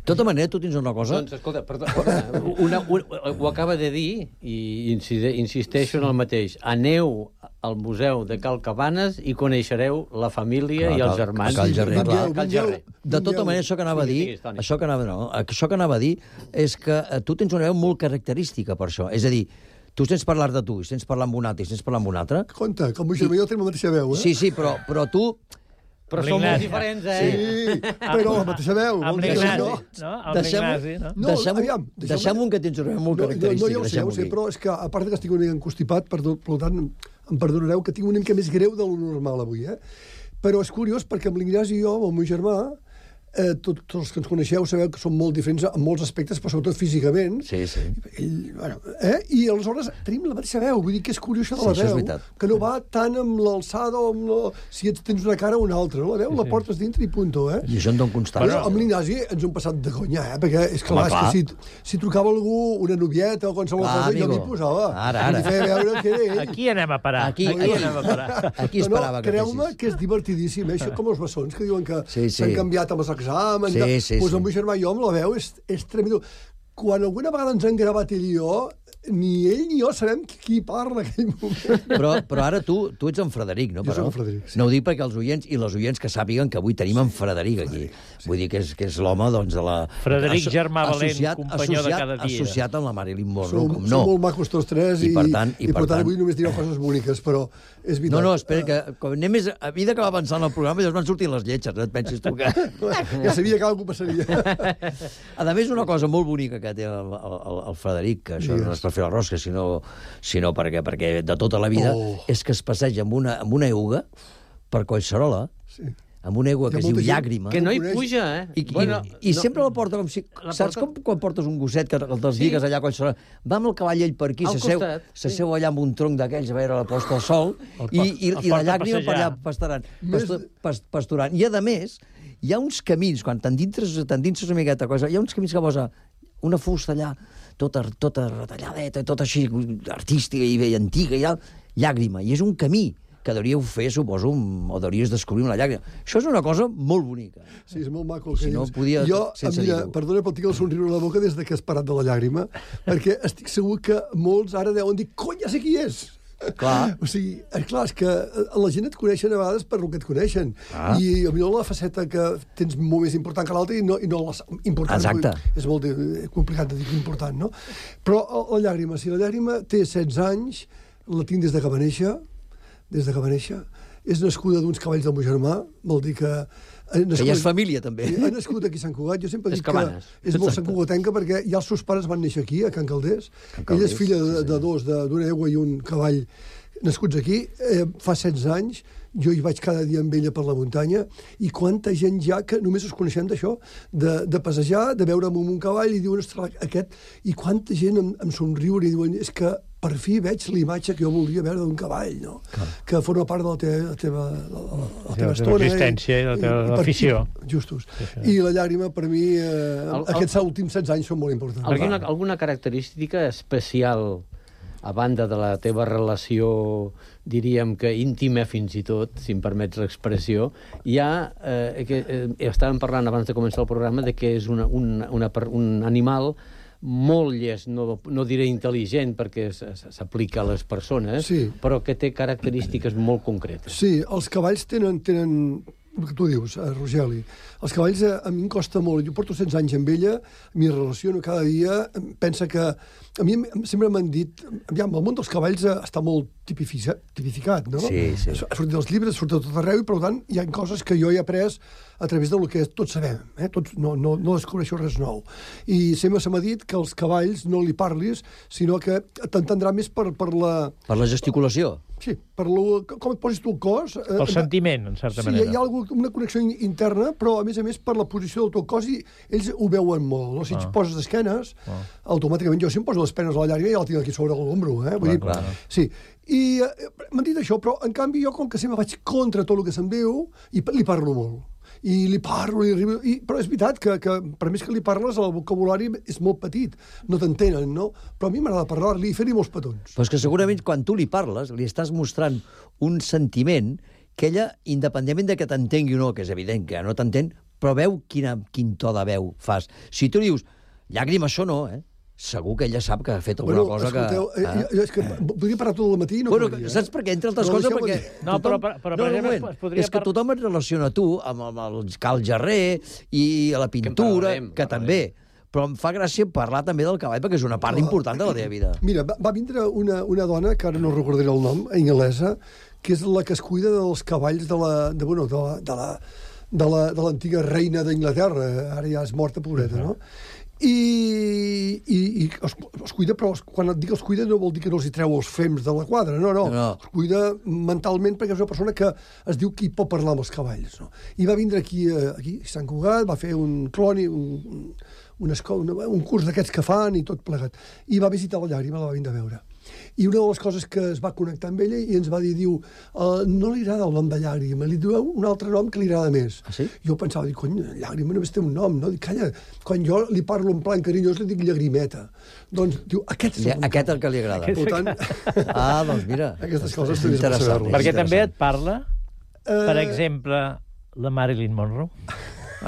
E: De tota manera, tu tens una cosa...
F: Doncs, escolta, perdó, perdona, una, una, ho acaba de dir i incide, insisteixo en el mateix. Aneu al Museu de Cal Cabanes i coneixereu la família
E: Clar,
F: i els
E: Cal-
F: germans.
E: Cal Gerrer, clar.
F: Cal Gerrer.
E: De tota manera, això que anava a dir,
F: Digues, Toni.
E: això que anava, no, això que anava a dir és que eh, tu tens una veu molt característica per això. És a dir, tu sents parlar de tu, i sents parlar amb un altre, i sents parlar amb un altre.
Q: Compte, que el meu germà i jo tenim la mateixa veu, eh?
E: Sí, sí, però, però tu...
F: Però som molt diferents, eh?
Q: Sí, però la mateixa veu.
G: Amb
Q: vol dir que
G: l'Ignasi,
Q: no.
G: no? Amb
E: Deixem,
G: l'Ignasi, no?
Q: No,
E: deixem,
Q: aviam, deixem-
E: deixem un que tens una veu molt
Q: No, no,
E: característica.
Q: no, ja ho sé, ja ho
E: deixem-ho
Q: sé,
E: dir.
Q: però és que, a part que estic una mica encostipat, per, per tant, em perdonareu que tinc una mica més greu de lo normal avui, eh? Però és curiós perquè amb l'Ignasi i jo, amb el meu germà, eh, tot, tots els que ens coneixeu sabeu que som molt diferents en molts aspectes, però sobretot físicament.
E: Sí, sí.
Q: Ell, bueno, eh? I aleshores tenim la mateixa veu, vull dir que és curiós això de
E: Sí,
Q: la
E: això és
Q: veu,
E: veritat.
Q: que no va tant amb l'alçada o amb la... si ets, tens una cara o una altra, no? La veu
G: Sí,
Q: la
G: sí.
Q: portes dintre i punto, eh?
E: I això en dono constància.
Q: Però amb l'Ignasi ens ho hem passat de conya, eh? Perquè és clar,
E: Home,
Q: és que
E: clar.
Q: si, si trucava algú, una novieta o qualsevol
E: Clar,
Q: cosa, jo
E: amigo.
Q: m'hi posava.
E: Ara, ara.
Q: I feia veure que era ell.
G: Aquí anem a parar.
E: Aquí-
G: Aquí, anem a parar.
E: Aquí
Q: No,
E: esperava
Q: no,
E: que
Q: creu-me
E: fessis.
Q: que és divertidíssim, eh? Això com els bessons, que diuen que
E: Sí,
Q: s'han
E: sí.
Q: canviat amb els exàmens.
E: Sí,
Q: tal.
E: sí,
Q: pues
E: sí.
Q: el meu germà i jo amb la veu és, és tremendo. Quan alguna vegada ens han gravat ell i jo, ni ell ni jo sabem qui parla en aquell moment.
E: Però, però ara tu, tu ets en Frederic, no?
Q: Jo
E: Però,
Q: soc en Frederic, sí.
E: No ho dic perquè els oients i les oients que sàpiguen que avui tenim en Frederic aquí. Sí. Vull dir que és, que és l'home, doncs, de la...
G: Frederic,
E: asso-
G: germà valent,
E: associat-
G: companyó de
E: associat-
G: cada dia.
E: Associat amb la Marilyn Monroe,
Q: Som,
E: com
Q: som
E: no.
Q: molt macos tots tres
E: I
Q: i,
E: per tant- i
Q: i
E: per
Q: per tant
E: tant-
Q: avui només direu coses boniques, però és veritat.
E: No, no, espera, que com anem més... A mesura que va avançant el programa, ja es van sortir les lletges, no et pensis tu que...
Q: Ja sabia que alguna cosa passaria.
E: A més, una cosa molt bonica que té el, el, el Frederic, que això no és per fer la rosca, sinó, sinó perquè, perquè de tota la vida,
Q: Oh.
E: és que es passeja amb una, amb una euga per Collserola,
Q: Sí.
E: amb una aigua
Q: Hi ha
E: que es diu
Q: molta gent
E: llàgrima.
F: Que no hi
Q: Coneix.
F: puja, eh?
E: I,
F: Bueno,
E: i, i
F: no-
E: sempre la porta com si...
F: La
E: Saps
F: porta-
E: com quan portes un gosset que te'ls
F: Sí.
E: digues allà a Collserola? Va amb el cavall ell per aquí,
F: Al
E: s'asseu
F: costat, sí.
E: s'asseu allà amb un tronc d'aquells a veure la posta del sol
G: El
E: i,
G: por-
E: i,
G: el
E: i la
G: porta a
E: llàgrima per allà
G: passejar.
E: pasturant,
Q: Més-
E: pastu, pas, pasturant. I, a més, hi ha uns camins, quan t'endintres, t'endintres una miqueta cosa, hi ha uns camins que posa una fusta allà, tota, tota retalladeta, tota així artística i bé antiga, i tal, llàgrima. I és un camí que hauríeu fer, suposo, o hauries descobrir una llàgrima. Això és una cosa molt bonica.
Q: Sí, és molt maco el que
E: si no,
Q: dius.
E: podia,
Q: jo,
E: sense
Q: mira,
E: dir-ho.
Q: perdona, però tinc el somriure a la boca des que has parat de la llàgrima, perquè estic segur que molts ara deuen dir, cony, ja sé qui és!
E: Clar.
Q: O sigui, clar, és que la gent et coneixen a vegades per el que et coneixen.
E: Ah.
Q: I potser la faceta que tens molt més important que l'altra i no, i no la important.
E: Exacte.
Q: És molt de, complicat de dir important, no? Però la llàgrima, si la llàgrima té setze anys, la tinc des de que va néixer, des de que va néixer, és nascuda d'uns cavalls del meu germà, vol dir que...
E: Que ja és família, també.
Q: Ha nascut aquí a Sant Cugat. Jo sempre
F: És
Q: dic que
F: Cabanes.
Q: és molt santcugatenca perquè ja els seus pares van néixer aquí, a Can Calders.
E: Can
Q: Ella
E: Calders,
Q: és filla de,
E: sí, sí.
Q: de dos, de- d'una egua i un cavall nascuts aquí. Eh, fa setze anys, jo hi vaig cada dia amb ella per la muntanya, i quanta gent ja que només us coneixem d'això, de, de passejar, de veure'm amb un cavall, i diuen, ostres, aquest... I quanta gent em, em somriure i diuen, és que per fi veig l'imatge que jo volia veure d'un cavall, no?
G: Clar.
Q: Que forma part de la teva, la teva, la, la, la
G: La
Q: teva
G: teva
Q: estona.
G: existència i la teva
Q: per-
G: afició.
Q: Justos.
G: Sí, sí.
Q: I la llàgrima, per mi, eh,
F: El- el-
Q: aquests últims setze anys són molt importants.
F: Alguna, alguna característica especial, a banda de la teva relació, diríem que íntima fins i tot, si em permets l'expressió, hi ha, eh, que, eh, estàvem parlant abans de començar el programa, de que és una, una, una, per- un animal molt llest, no, no diré intel·ligent, perquè s- s- s'aplica a les persones,
Q: Sí.
F: però que té característiques molt concretes.
Q: Sí, els cavalls tenen, tenen el que tu dius, eh, Rogeli. Els cavalls a, a mi em costa molt. Jo porto setze anys amb ella, m'hi relaciono cada dia, em pensa que... A mi em- sempre m'han dit... Aviam, el món dels cavalls eh, està molt tipificat, tipificat, no?
E: Sí, sí.
Q: Ha sortit dels llibres, ha sortit de tot arreu, i per tant hi ha coses que jo he après a través del que tots sabem. Eh? Tots, no, no, no descobreixo res nou. I sempre se m'ha dit que als cavalls no li parlis, sinó que t'entendrà més per, per la...
E: Per la gesticulació.
Q: Sí, per lo, com et posis tu el cos... eh,
G: El sentiment, en certa
Q: sí,
G: manera.
Q: hi ha algú, una connexió in- interna, però a més a més per la posició del teu cos, i ells ho veuen molt. No? Si
G: Ah.
Q: et poses d'esquenes,
G: Ah.
Q: automàticament jo si em poso les penes a la llarga ja la tinc aquí sobre l'ombro. Eh? Vull
E: Clar,
Q: dir,
E: clar.
Q: Sí. I eh, m'han dit això, però en canvi jo com que sempre vaig contra tot el que se'm diu, i pa- li parlo molt. I li parlo, li arribo... I, però és veritat que, que per més que li parles, el vocabulari és molt petit. No t'entenen, no? Però a mi m'agrada parlar-li i fer-li molts petons.
E: Però és que segurament quan tu li parles, li estàs mostrant un sentiment que ella, independentment de que t'entengui o no, que és evident que no t'entén, però veu quina, quin to de veu fas. Si tu li dius, llàgrima, això no, eh? Segur que ella sap que ha fet alguna
Q: Bueno,
E: cosa
Q: escolteu,
E: que...
Q: eh, jo, és que podria parar tot el matí i no
E: Bueno,
Q: acabaria, eh?
E: saps per què? Entre altres
Q: Però
E: coses,
Q: deixeu-me
E: perquè...
Q: dir.
G: No, però- però- però, per
E: un
G: exemple,
E: moment.
G: es podria
E: És que
G: par-
E: tothom et relaciona a tu amb, amb el Cal Jarrer i a la pintura, que,
F: parlarem,
E: que també. Però em fa gràcia parlar també del cavall, perquè és una part important de la teva vida.
Q: Mira, va, va vindre una, una dona, que ara no recordaré el nom, anglesa, que és la que es cuida dels cavalls de la, de, bueno, de la, de la, de la, de l'antiga reina d'Inglaterra, ara ja és morta, pobreta, no? I, i, i els, els cuida, però els, quan et dic els cuida no vol dir que no els hi treu els fems de la quadra, no, no,
E: No.
Q: els cuida mentalment perquè és una persona que es diu que hi pot parlar amb els cavalls, no? I va vindre aquí, eh, aquí a Sant Cugat, va fer un cloni, un, un, un, esco, un, un curs d'aquests que fan i tot plegat, i va visitar la llàgrima, la va vindre a veure. I una de les coses que es va connectar amb ella i ens va dir, diu, uh, no li agrada el nom de llàgrima, li diu un altre nom que li agrada més.
E: Ah, sí?
Q: Jo pensava, dic, cony, llàgrima només té un nom, no? Dic, calla, quan jo li parlo en plan carinyós li dic llagrimeta. Doncs, diu, aquest és
E: Ja,
Q: el
E: aquest el que li agrada.
Q: Per tant,
E: Ah, doncs mira.
Q: aquestes coses
E: és
Q: també és per
E: interessant.
Q: saber-les.
G: Perquè
E: és
G: també et
E: interessant.
G: parla, per
Q: Eh,
G: exemple, la Marilyn Monroe.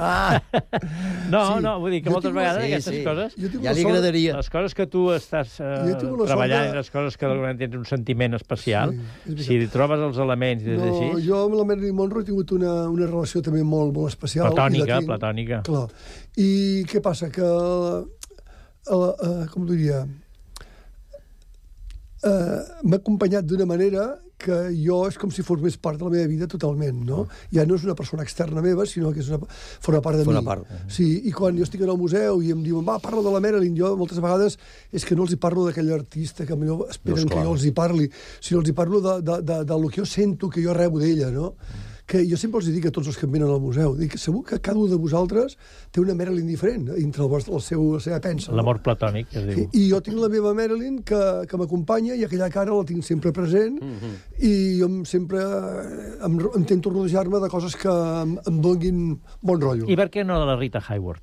E: Ah,
G: No,
Q: Sí.
G: no, vull dir que
Q: Jo
G: moltes
Q: tinc-
G: vegades
E: Sí,
G: aquestes
E: sí.
G: coses...
Q: Jo tinc
E: ja
Q: la
E: li
Q: sort-
E: agradaria.
G: Les coses que tu estàs eh,
Q: Jo tinc la sort
G: treballant
Q: de-
G: i les coses que d'alguna manera tens un sentiment especial,
Q: Sí, és veritat.
G: si hi trobes els elements i és
Q: No,
G: així...
Q: jo amb la Marilyn Monroe he tingut una, una relació també molt, molt especial. i la
G: Platònica,
Q: tinc.
G: platònica.
Q: Clar. I què passa? Que, uh, uh, com diria, uh, m'ha acompanyat d'una manera que jo és com si fos més part de la meva vida totalment, no? Ja no és una persona externa meva, sinó que és una, forma part de
E: Forma
Q: mi.
E: part.
Q: Sí, i quan jo estic en el museu i em diuen, va, parla de la Marilyn, jo moltes vegades és que no els hi parlo d'aquell artista que millor esperen
E: No,
Q: que
E: esclar.
Q: jo els hi parli, sinó els hi parlo de, de, de, de lo que jo sento, que jo rebo d'ella, no? Que jo sempre els dic a tots els que em venen al museu, dic que segur que cada un de vosaltres té una Marilyn diferent dintre el, vostre, el seu, la seva pensa. no?
G: L'amor platònic, que es diu.
Q: I, I jo tinc la meva Marilyn que, que m'acompanya i aquella cara la tinc sempre present
F: Mhm.
Q: i jo em, sempre eh, em, intento rodejar-me de coses que em, em donin bon rotllo.
G: I per què no de la Rita Hayworth?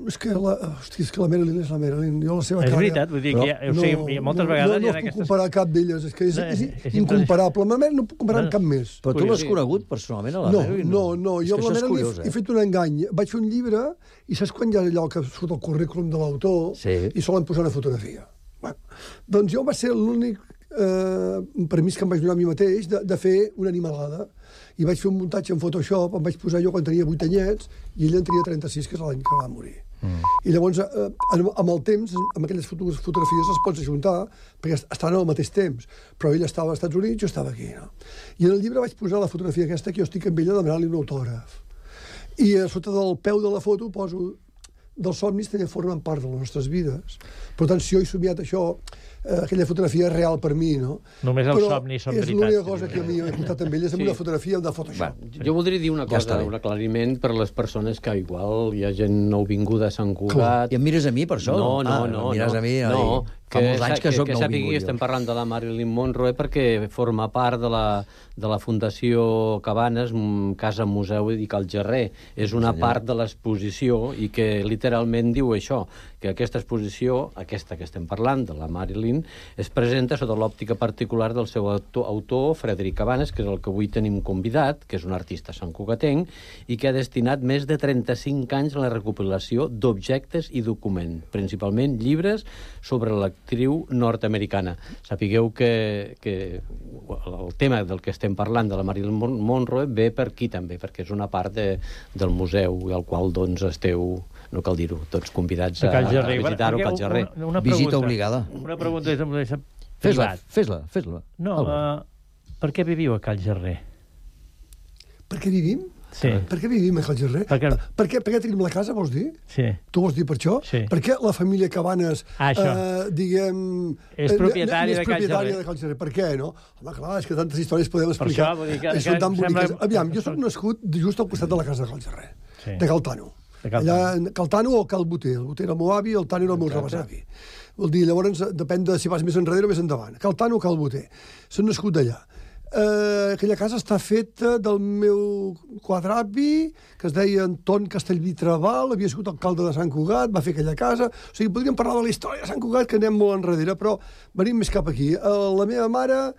Q: És que la, hosti, és que la Marilyn és la Marilyn. Jo la seva
G: és
Q: cara...
G: veritat, vull dir que hi ha, o sigui, no, moltes
Q: no,
G: vegades
Q: no, no
G: hi ha
Q: puc
G: aquestes...
Q: comparar cap d'elles, és que és,
G: No,
Q: és,
G: és- és
Q: incomparable. Amb la Marilyn no puc comparar
G: No,
Q: amb cap més.
E: Però tu l'has conegut personalment, a la
Q: No,
E: Marilyn?
Q: no, no.
E: És
Q: Jo
E: que
Q: amb la
E: això és
Q: Marilyn
E: curiós,
Q: he, he
E: eh?
Q: fet un engany. Vaig fer un llibre i saps quan hi ha allò que surt el currículum de l'autor
E: Sí.
Q: i solen posar una fotografia. Bueno, doncs jo va ser l'únic eh, permís que em vaig donar a mi mateix de, de fer una animalada. I vaig fer un muntatge en Photoshop, em vaig posar jo quan tenia vuit anyets i ell en tenia trenta-sis, que és l'any que va morir. Mm. I llavors, eh, amb el temps, amb aquelles foto fotografies les pots ajuntar, perquè estaven al mateix temps. Però ell estava als Estats Units, jo estava aquí, no? I en el llibre vaig posar la fotografia aquesta, que jo estic amb ella demanant-li un autògraf. I a sota del peu de la foto poso dels somnis també formen part de les nostres vides. Per tant, si jo he somiat això, eh, aquella fotografia és real per mi, no?
G: Només els
Q: Però
G: somnis són
Q: és
G: veritats.
Q: l'única cosa que a mi he comptat amb ell, és amb
F: Sí.
Q: una fotografia de Photoshop.
F: Va, jo voldria dir una
E: Ja està
F: cosa,
E: bé.
F: un aclariment per a les persones que igual hi ha gent nouvinguda a Sant Cugat.
E: I em mires a mi per això?
F: No, no,
E: Ah,
F: no.
E: em mires
F: no,
E: a mi,
F: no,
E: ai, fa molts anys que,
F: que,
E: soc
F: que sàpigui,
E: nouvingut.
F: estem parlant de la Marilyn Monroe perquè forma part de la, de la Fundació Cabanes, mm, Casa Museu i Cal Gerrer. És una
E: senyor.
F: part de l'exposició i que literalment diu això, que aquesta exposició, aquesta que estem parlant, de la Marilyn, es presenta sota l'òptica particular del seu autor, autor, Frederic Cabanes, que és el que avui tenim convidat, que és un artista santcugatenc i que ha destinat més de trenta-cinc anys a la recopilació d'objectes i documents, principalment llibres sobre l'actriu nord-americana. Sapigueu que, que el tema del que estem parlant de la Marilyn Mon- Monroe ve per aquí també, perquè és una part de, del museu al qual doncs esteu, no cal dir-ho, tots convidats a,
G: A Cal
F: a
G: Gerrer.
F: visitar-ho a Cal
G: Una-
F: Gerrer.
G: una- una
E: Visita
G: pregunta.
E: obligada.
G: Una pregunta és amb això
E: Fes-la,
G: privat.
E: fes-la, fes-la.
G: No,
E: Alba.
G: uh, per què viviu a Cal Gerrer?
Q: Per què vivim?
G: Sí.
Q: Per què vivim a Cal Gerrer?
G: Per què-
Q: Per què, per què tenim la casa, vols dir?
G: Sí.
Q: Tu vols dir per això?
G: Sí.
Q: Per què la família Cabanes,
G: Ah, això.
Q: eh, diguem...
G: És
Q: eh,
G: propietària
Q: és
G: de Cal
Q: propietària
G: Gerrer.
Q: de Cal Gerrer. Per què, no? Home, clar, és que tantes històries podem
G: Per
Q: explicar.
G: això, vull dir que-
Q: Eh,
G: que
Q: Són tan
G: sembla-
Q: boniques. Aviam, jo soc nascut just al costat de la casa de Cal Gerrer,
G: Sí.
Q: de Cal Tano.
G: De Cal
Q: Allà, Cal Tano o Cal Boter. El Boter era el meu avi, el Tano era el meu rebesavi. Vol dir, llavors, depèn de si vas més enrere o més endavant. Cal Tano o Cal Boter. Són nascut d'allà. Eh, aquella casa està feta del meu quadravi, que es deia Anton Castellví Trabal, havia sigut alcalde de Sant Cugat, va fer aquella casa. O sigui, podríem parlar de la història de Sant Cugat, que anem molt enrere, però venim més cap aquí. Eh, la meva mare,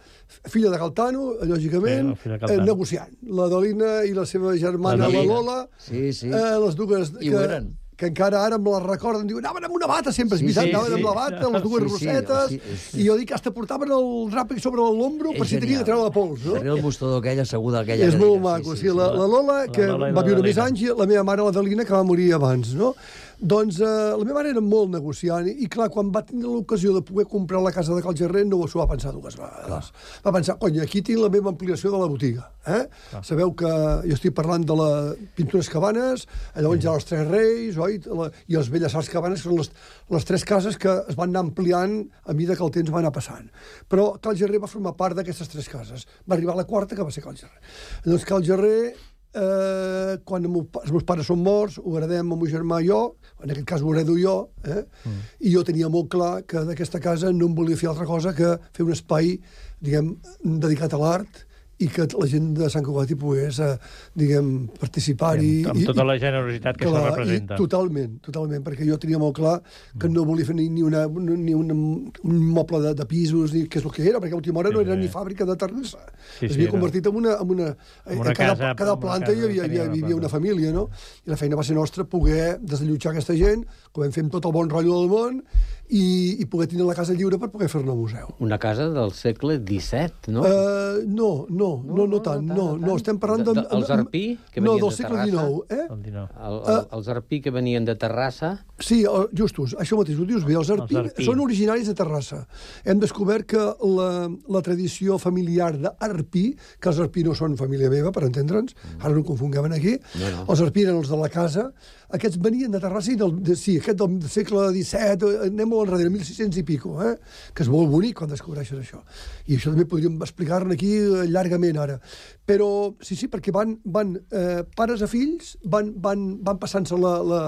Q: filla de Caltano, lògicament,
G: Sí, filla de
Q: eh,
G: Caltano.
Q: negociant. La Dalina i la seva germana,
G: La
Q: la,
G: Dalina.
Q: Lola,
E: Sí, sí.
Q: eh, les dues
E: I ho eren.
Q: que encara ara me la recorden, diuen, anaven amb una bata sempre, és
E: Sí,
Q: veritat,
E: sí,
Q: anaven
E: sí.
Q: amb la bata, les dues
E: Sí, sí,
Q: rosetes,
E: sí, sí.
Q: i jo dic que hasta portaven el drap sobre l'ombro per
E: És
Q: si tenia
E: genial.
Q: de treure la pols, no?
E: Darrere el mostador aquell, asseguda aquella
Q: És
E: cadira.
Q: molt maco, sí, la, la Lola, que
G: Lola i
Q: va
G: la
Q: viure més
G: Dalina.
Q: anys, i la meva mare, la Dalina, que va morir abans, no? Doncs eh, la meva mare era molt negociant, i clar, quan va tenir l'ocasió de poder comprar la casa de Cal Gerrer, no s'ho va pensar dues vegades. Va pensar, cony, aquí tinc la meva ampliació de la botiga, eh? Sabeu que jo estic parlant de la Pintures Cabanes, llavors hi ha els Tres Reis, oi? La, i els Belles Arts Cabanes, que són les, les tres cases que es van anar ampliant a mesura que el temps va anar passant. Però Cal Gerrer va formar part d'aquestes tres cases. Va arribar a la quarta, que va ser Cal Gerrer. Llavors, Cal Gerrer, eh, quan meu, els meus pares són morts, ho heredem el meu germà i jo, en aquest cas ho heredo jo, eh? mm. i jo tenia molt clar que d'aquesta casa no em volia fer altra cosa que fer un espai, diguem, dedicat a l'art, i que la gent de Sant Cugat hi pogués, eh, diguem, participar-hi.
G: Amb, amb tota la generositat que
Q: clar,
G: se representa.
Q: I, totalment, totalment, perquè jo tenia molt clar que no volia fer ni, ni, una, ni una, un moble de, de pisos, ni què és el que era, perquè a l'última hora no era ni fàbrica de terrissa.
G: Sí,
Q: es
G: sí,
Q: havia
G: era
Q: convertit en una... En una,
G: en una
Q: en cada,
G: casa-
Q: cada
G: una
Q: planta
G: casa
Q: hi havia, hi
G: tenia
Q: havia,
G: una
Q: hi havia
G: planta.
Q: una família, no? I la feina va ser nostra poder desallotjar aquesta gent, que vam fer amb tot el bon rotllo del món, i, i poder tenir la casa lliure per poder fer-ne museu.
F: Una casa del segle disset, no?
Q: Uh, no, no, no, no, no tant, no, no, estem parlant de...
F: De- els Arpí, que
Q: no,
F: venien
Q: del
F: de
Q: segle
F: Terrassa.
Q: dinou, eh?
G: El dinou.
F: El, el, els Arpí que venien de Terrassa.
Q: Sí, el- justos, això mateix, ho dius bé. Els Arpí,
G: Els Arpí.
Q: són originaris de Terrassa. Hem descobert que la, la tradició familiar d'Arpí, que els Arpí no són família meva, per entendre'ns, ara no ho confonguem aquí,
F: No, no.
Q: els Arpí eren els de la casa, aquests venien de Terrassa i del, de, sí, aquest del segle disset, eh, anem molt enrere, mil sis-cents i pico, eh? Que és molt bonic quan descobreixes això. I això també podríem explicar-ne aquí eh, llargament ara. Però, sí, sí, perquè van, van eh, pares a fills, van, van, van passant-se la, la,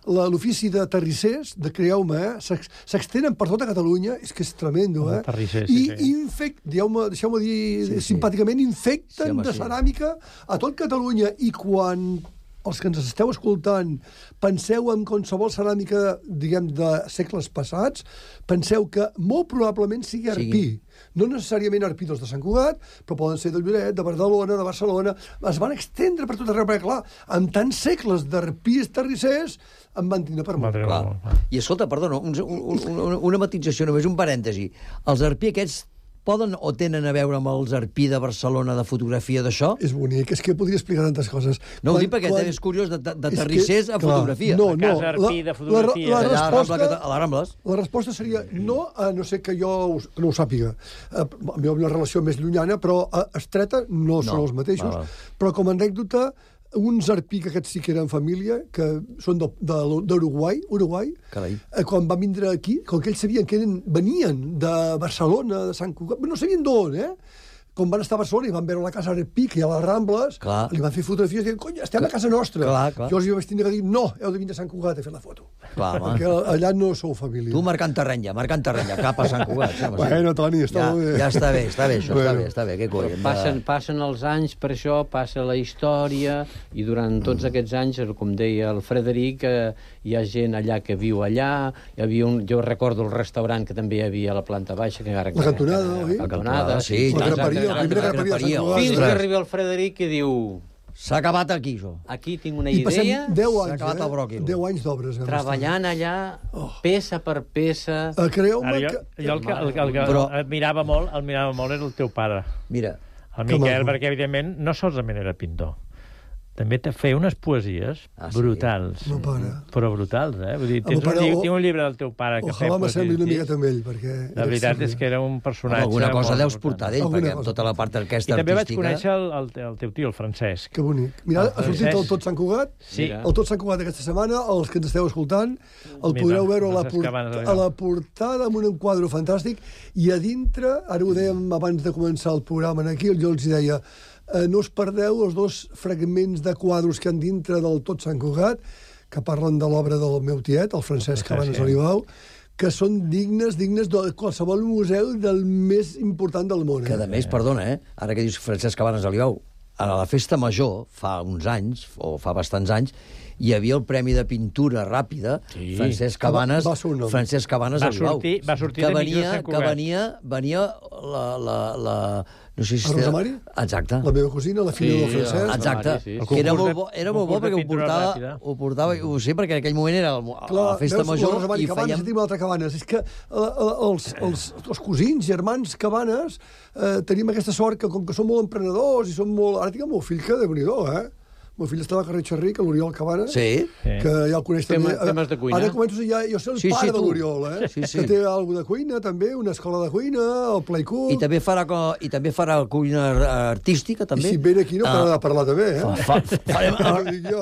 Q: la- l'ofici de terrissers, de creu-me, eh? s'ex- s'extenen per tota Catalunya, és que és tremendo, eh?
G: Terrissers, sí,
Q: I
G: sí.
Q: infect, dieu-me, deixeu-me dir
E: Sí, sí.
Q: simpàticament, infecten
E: Sí, home,
Q: de
E: sí.
Q: ceràmica a tot Catalunya, i quan els que ens esteu escoltant, penseu en qualsevol ceràmica, diguem, de segles passats, penseu que molt probablement sigui arpí. No necessàriament arpí dels de Sant Cugat, però poden ser de Lloret, de Badalona, de Barcelona. Es van extendre per tot arreu, perquè, clar, amb tants segles d'arpís terrissers, en van tindre per molt.
E: Clar. I escolta, perdona, un, un, un, una matització, només un parèntesi. Els arpí aquests poden o tenen a veure amb els arpí de Barcelona de fotografia d'això?
Q: És bonic, és que podria explicar tantes coses.
E: No, quan, ho dic perquè quan... és curiós de, de, de terrissers a fotografia.
Q: No, no,
G: a casa arpí de fotografia.
Q: La, la, la, resposta,
E: a les Rambles.
Q: La resposta seria no, a no sé que jo us, no ho sàpiga. A mi una relació més llunyana, però estreta no, no són els mateixos. Va, va. Però com a anècdota, uns arpí que aquests sí que eren família, que són d'Uruguai, Uruguai, eh, quan van vindre aquí, com que ells sabien que eren, venien de Barcelona, de Sant Cugat, no sabien d'on, eh? Com van estar a Barcelona i van veure la casa Arpí, que hi ha a les Rambles, clar. Li van fer fotografies i diuen, cony, estem a casa nostra.
E: Clar, clar.
Q: Jo els hi vaig tenir que dir, no, heu de venir a Sant Cugat a fer la foto.
E: Clar,
Q: perquè allà no sou família.
E: Tu marcant terreny ja, marcant terreny ja, cap a Sant Cugat. Sí,
Q: bueno, Toni, està
E: ja,
Q: molt bé.
E: Ja està bé, està bé, això, bueno. està bé, està bé, què coi.
F: Passen, passen els anys, per això passa la història, i durant tots mm. aquests anys, com deia el Frederic, eh, hi ha gent allà que viu allà, hi havia un, jo recordo el restaurant que també hi havia a la planta baixa, que ara...
Q: La cantonada, oi?
F: La cantonada,
E: sí.
Q: La graperia, la primera graperia.
F: Fins que arriba el Frederic i diu...
E: S'ha acabat aquí, jo.
F: Aquí tinc una idea...
Q: deu anys,
E: S'ha acabat el bròquil.
Q: deu anys d'obres.
F: Treballant allà, peça per peça...
Q: Creu-me
G: jo,
Q: que...
G: jo el que, el, el que Però... admirava molt, admirava molt era el teu pare.
E: Mira.
G: El Miquel, perquè evidentment no solament era pintor. També te feia unes poesies ah, sí. brutals.
Q: No para.
G: Però brutals, eh? Vull dir, tens un, llibre, tinc un llibre del teu pare que feia
Q: poesies. Ojalà m'assembli una miqueta amb ell, perquè...
G: La veritat és que era un personatge...
E: Alguna cosa deus portar d'ell, perquè amb tota la part aquesta artística...
G: I també vaig conèixer el, el, el teu tio, el Francesc.
Q: Que bonic. Mira, ha sortit el Tot Sant Cugat,
G: sí.
Q: el Tot Sant Cugat aquesta setmana, els que ens esteu escoltant, el podreu veure a la, port a la portada amb un quadre fantàstic, i a dintre, ara ho dèiem abans de començar el programa aquí, jo els deia... Eh, no us perdeu els dos fragments de quadros que han dintre del Tot Sant Cugat, que parlen de l'obra del meu tiet, el Francesc Cabanes Olivau, que són dignes, dignes de qualsevol museu del més important del món.
E: Que, a més, perdona, eh? Ara que dius Francesc Cabanes Olivau, a la festa major, fa uns anys, o fa bastants anys, hi havia el Premi de Pintura Ràpida, sí. Francesc Cabanes, va, va Francesc Cabanes Olivau.
G: Va sortir
E: que
G: de
E: venia,
G: Sant Cugat.
E: Que venia, venia la... la, la no sé si
Q: a Rosa Mari?
E: Exacte.
Q: La meva cosina, la filla sí, del Francesc.
E: Exacte. Sí, sí. Era molt bo, era molt bo perquè ho portava, ho portava, ho sé, perquè en aquell moment era el, Clar, la festa veus, major
Q: la Mari, i Cabanes, fèiem... Cabanes, altra Cabanes. És que els, els, els cosins, germans Cabanes, eh, tenim aquesta sort que, com que som molt emprenedors i som molt... Ara tinc el meu fill que, déu-n'hi-do, eh? El meu fill està al carrer Xerric, a l'Oriol Cabanes,
E: sí.
Q: que ja el coneix
F: Tema,
Q: també.
F: Temes de cuina.
Q: Ara començo a ja, jo sé el
E: sí,
Q: pare
E: sí,
Q: de l'Oriol, eh?
E: Sí, sí.
Q: Que té alguna de cuina, també, una escola de cuina, el Play Cook...
E: I també farà, i també farà cuina artística, també.
Q: I si ve aquí no pararà de parlar també, eh?
E: Fa, fa, farem,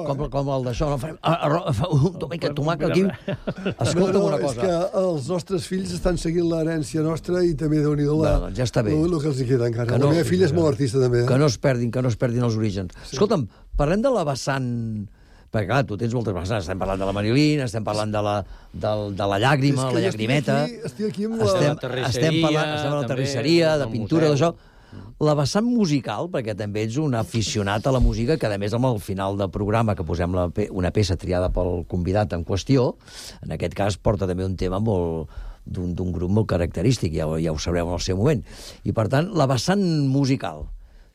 E: com, com el d'això, no? Farem arroz, un tomàquet, tomàquet aquí. Escolta'm
Q: no, no,
E: una cosa.
Q: És que els nostres fills estan seguint l'herència nostra i també déu-n'hi-do la...
E: Ja està bé.
Q: El que els hi queda encara. La meva filla és molt artista, també.
E: Que no es perdin, que no es perdin els orígens. Escolta'm, parlem de la vessant... Perquè, clar, tu tens moltes vessants. Estem parlant de la Marilyn, estem parlant de la, de, de la llàgrima, la llagrimeta...
Q: Estic aquí, estic aquí amb la...
E: Estem, estem parlant estem a la terrisseria, de pintura, d'això... La vessant musical, perquè també ets un aficionat a la música, que a més amb el final del programa, que posem la, una peça triada pel convidat en qüestió, en aquest cas porta també un tema molt d'un grup molt característic, ja, ja ho sabreu en el seu moment. I, per tant, la vessant musical,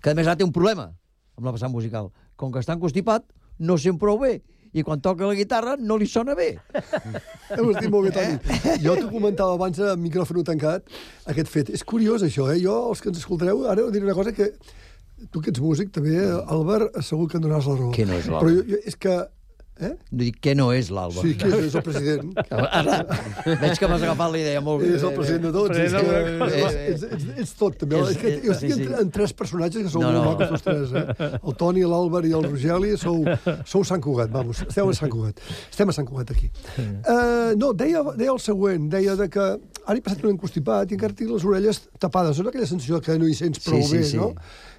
E: que a més ara té un problema amb la vessant musical. Com que està encostipat, no sent prou bé. I quan toca la guitarra no li sona bé.
Q: Ho has dit molt bé, Toni. Jo t'ho comentava abans amb micròfon tancat, aquest fet. És curiós, això, eh? Jo, els que ens escoltareu, ara diré una cosa que... Tu que ets músic, també, Albert, segur que em donaràs la raó.
E: Què no és l'Albert?
Q: Però jo, jo, és que... Eh?
E: No dic què no és l'Alba.
Q: Sí, que és el president.
E: Ara, veig que m'has agafat la idea molt bé.
Q: És el president de tots. És que, és, és, és, ets tot, també. És, és, jo estic sí, sí. en tres personatges que sou no, molt macos, tots tres. Eh? El Toni, l'Àlvar i el Rogeli sou, sou Sant Cugat, vamos. Esteu a Sant Cugat. Estem a Sant Cugat, aquí. Uh, no, deia, deia el següent. Deia de que ara he passat un encostipat i encara tinc les orelles tapades. És aquella sensació que no hi sents prou sí, sí, bé, sí. no?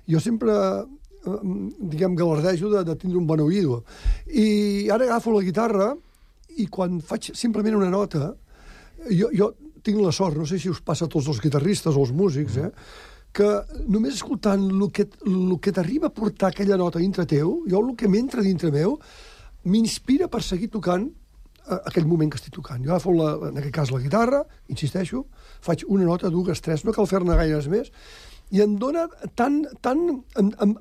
Q: Jo sempre... diguem, galardejo de, de tindre un bon oïdo. I ara agafo la guitarra i quan faig simplement una nota, jo, jo tinc la sort, no sé si us passa a tots els guitarristes o els músics, eh, que només escoltant el que, el que t'arriba a portar aquella nota dintre teu, jo el que m'entra dintre meu, m'inspira per seguir tocant aquell moment que estic tocant. Jo agafo, la, en aquest cas, la guitarra, insisteixo, faig una nota, dues, tres, no cal fer-ne gaires més, i em dona tan... tan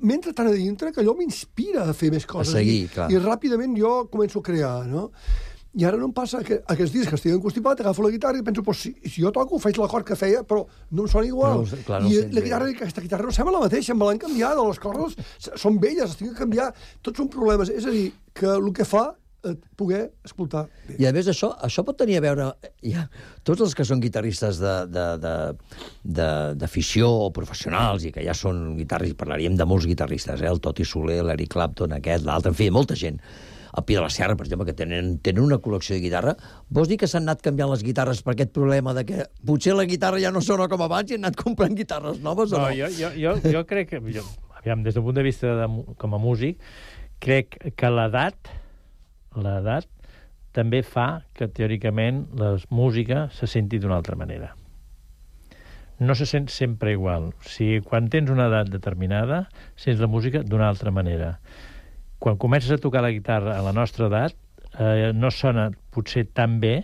Q: m'entra tan a dintre que allò m'inspira a fer més coses.
E: A seguir,
Q: I,
E: clar.
Q: I ràpidament jo començo a crear, no? I ara no em passa que aquests dies que estic encostipat, agafo la guitarra i penso, pues, si, si jo toco, faig l'acord que feia, però no em sona igual.
E: No, clar, no
Q: I
E: sent
Q: la guitarra, aquesta guitarra no sembla la mateixa, me l'han canviat, les cordes són velles, es tinc que canviar. Tots són problemes. És a dir, que el que fa poder escoltar bé.
E: I a més això, això pot tenir a veure... Ja, tots els que són guitarristes d'afició o professionals i que ja són guitarristes, parlaríem de molts guitarristes, eh? El Toti Soler, l'Eric Clapton, aquest, l'altre, en fi, molta gent. El Pi de la Serra, per exemple, que tenen, tenen una col·lecció de guitarra. Vols dir que s'han anat canviant les guitarres per aquest problema de que potser la guitarra ja no sona com abans i han anat comprant guitarres noves o no?
G: No, jo, jo, jo, jo crec que... Jo, aviam, des del punt de vista de, com a músic, crec que l'edat l'edat també fa que, teòricament, la música se senti d'una altra manera. No se sent sempre igual. O sigui, quan tens una edat determinada, sents la música d'una altra manera. Quan comences a tocar la guitarra a la nostra edat, eh, no sona potser tan bé,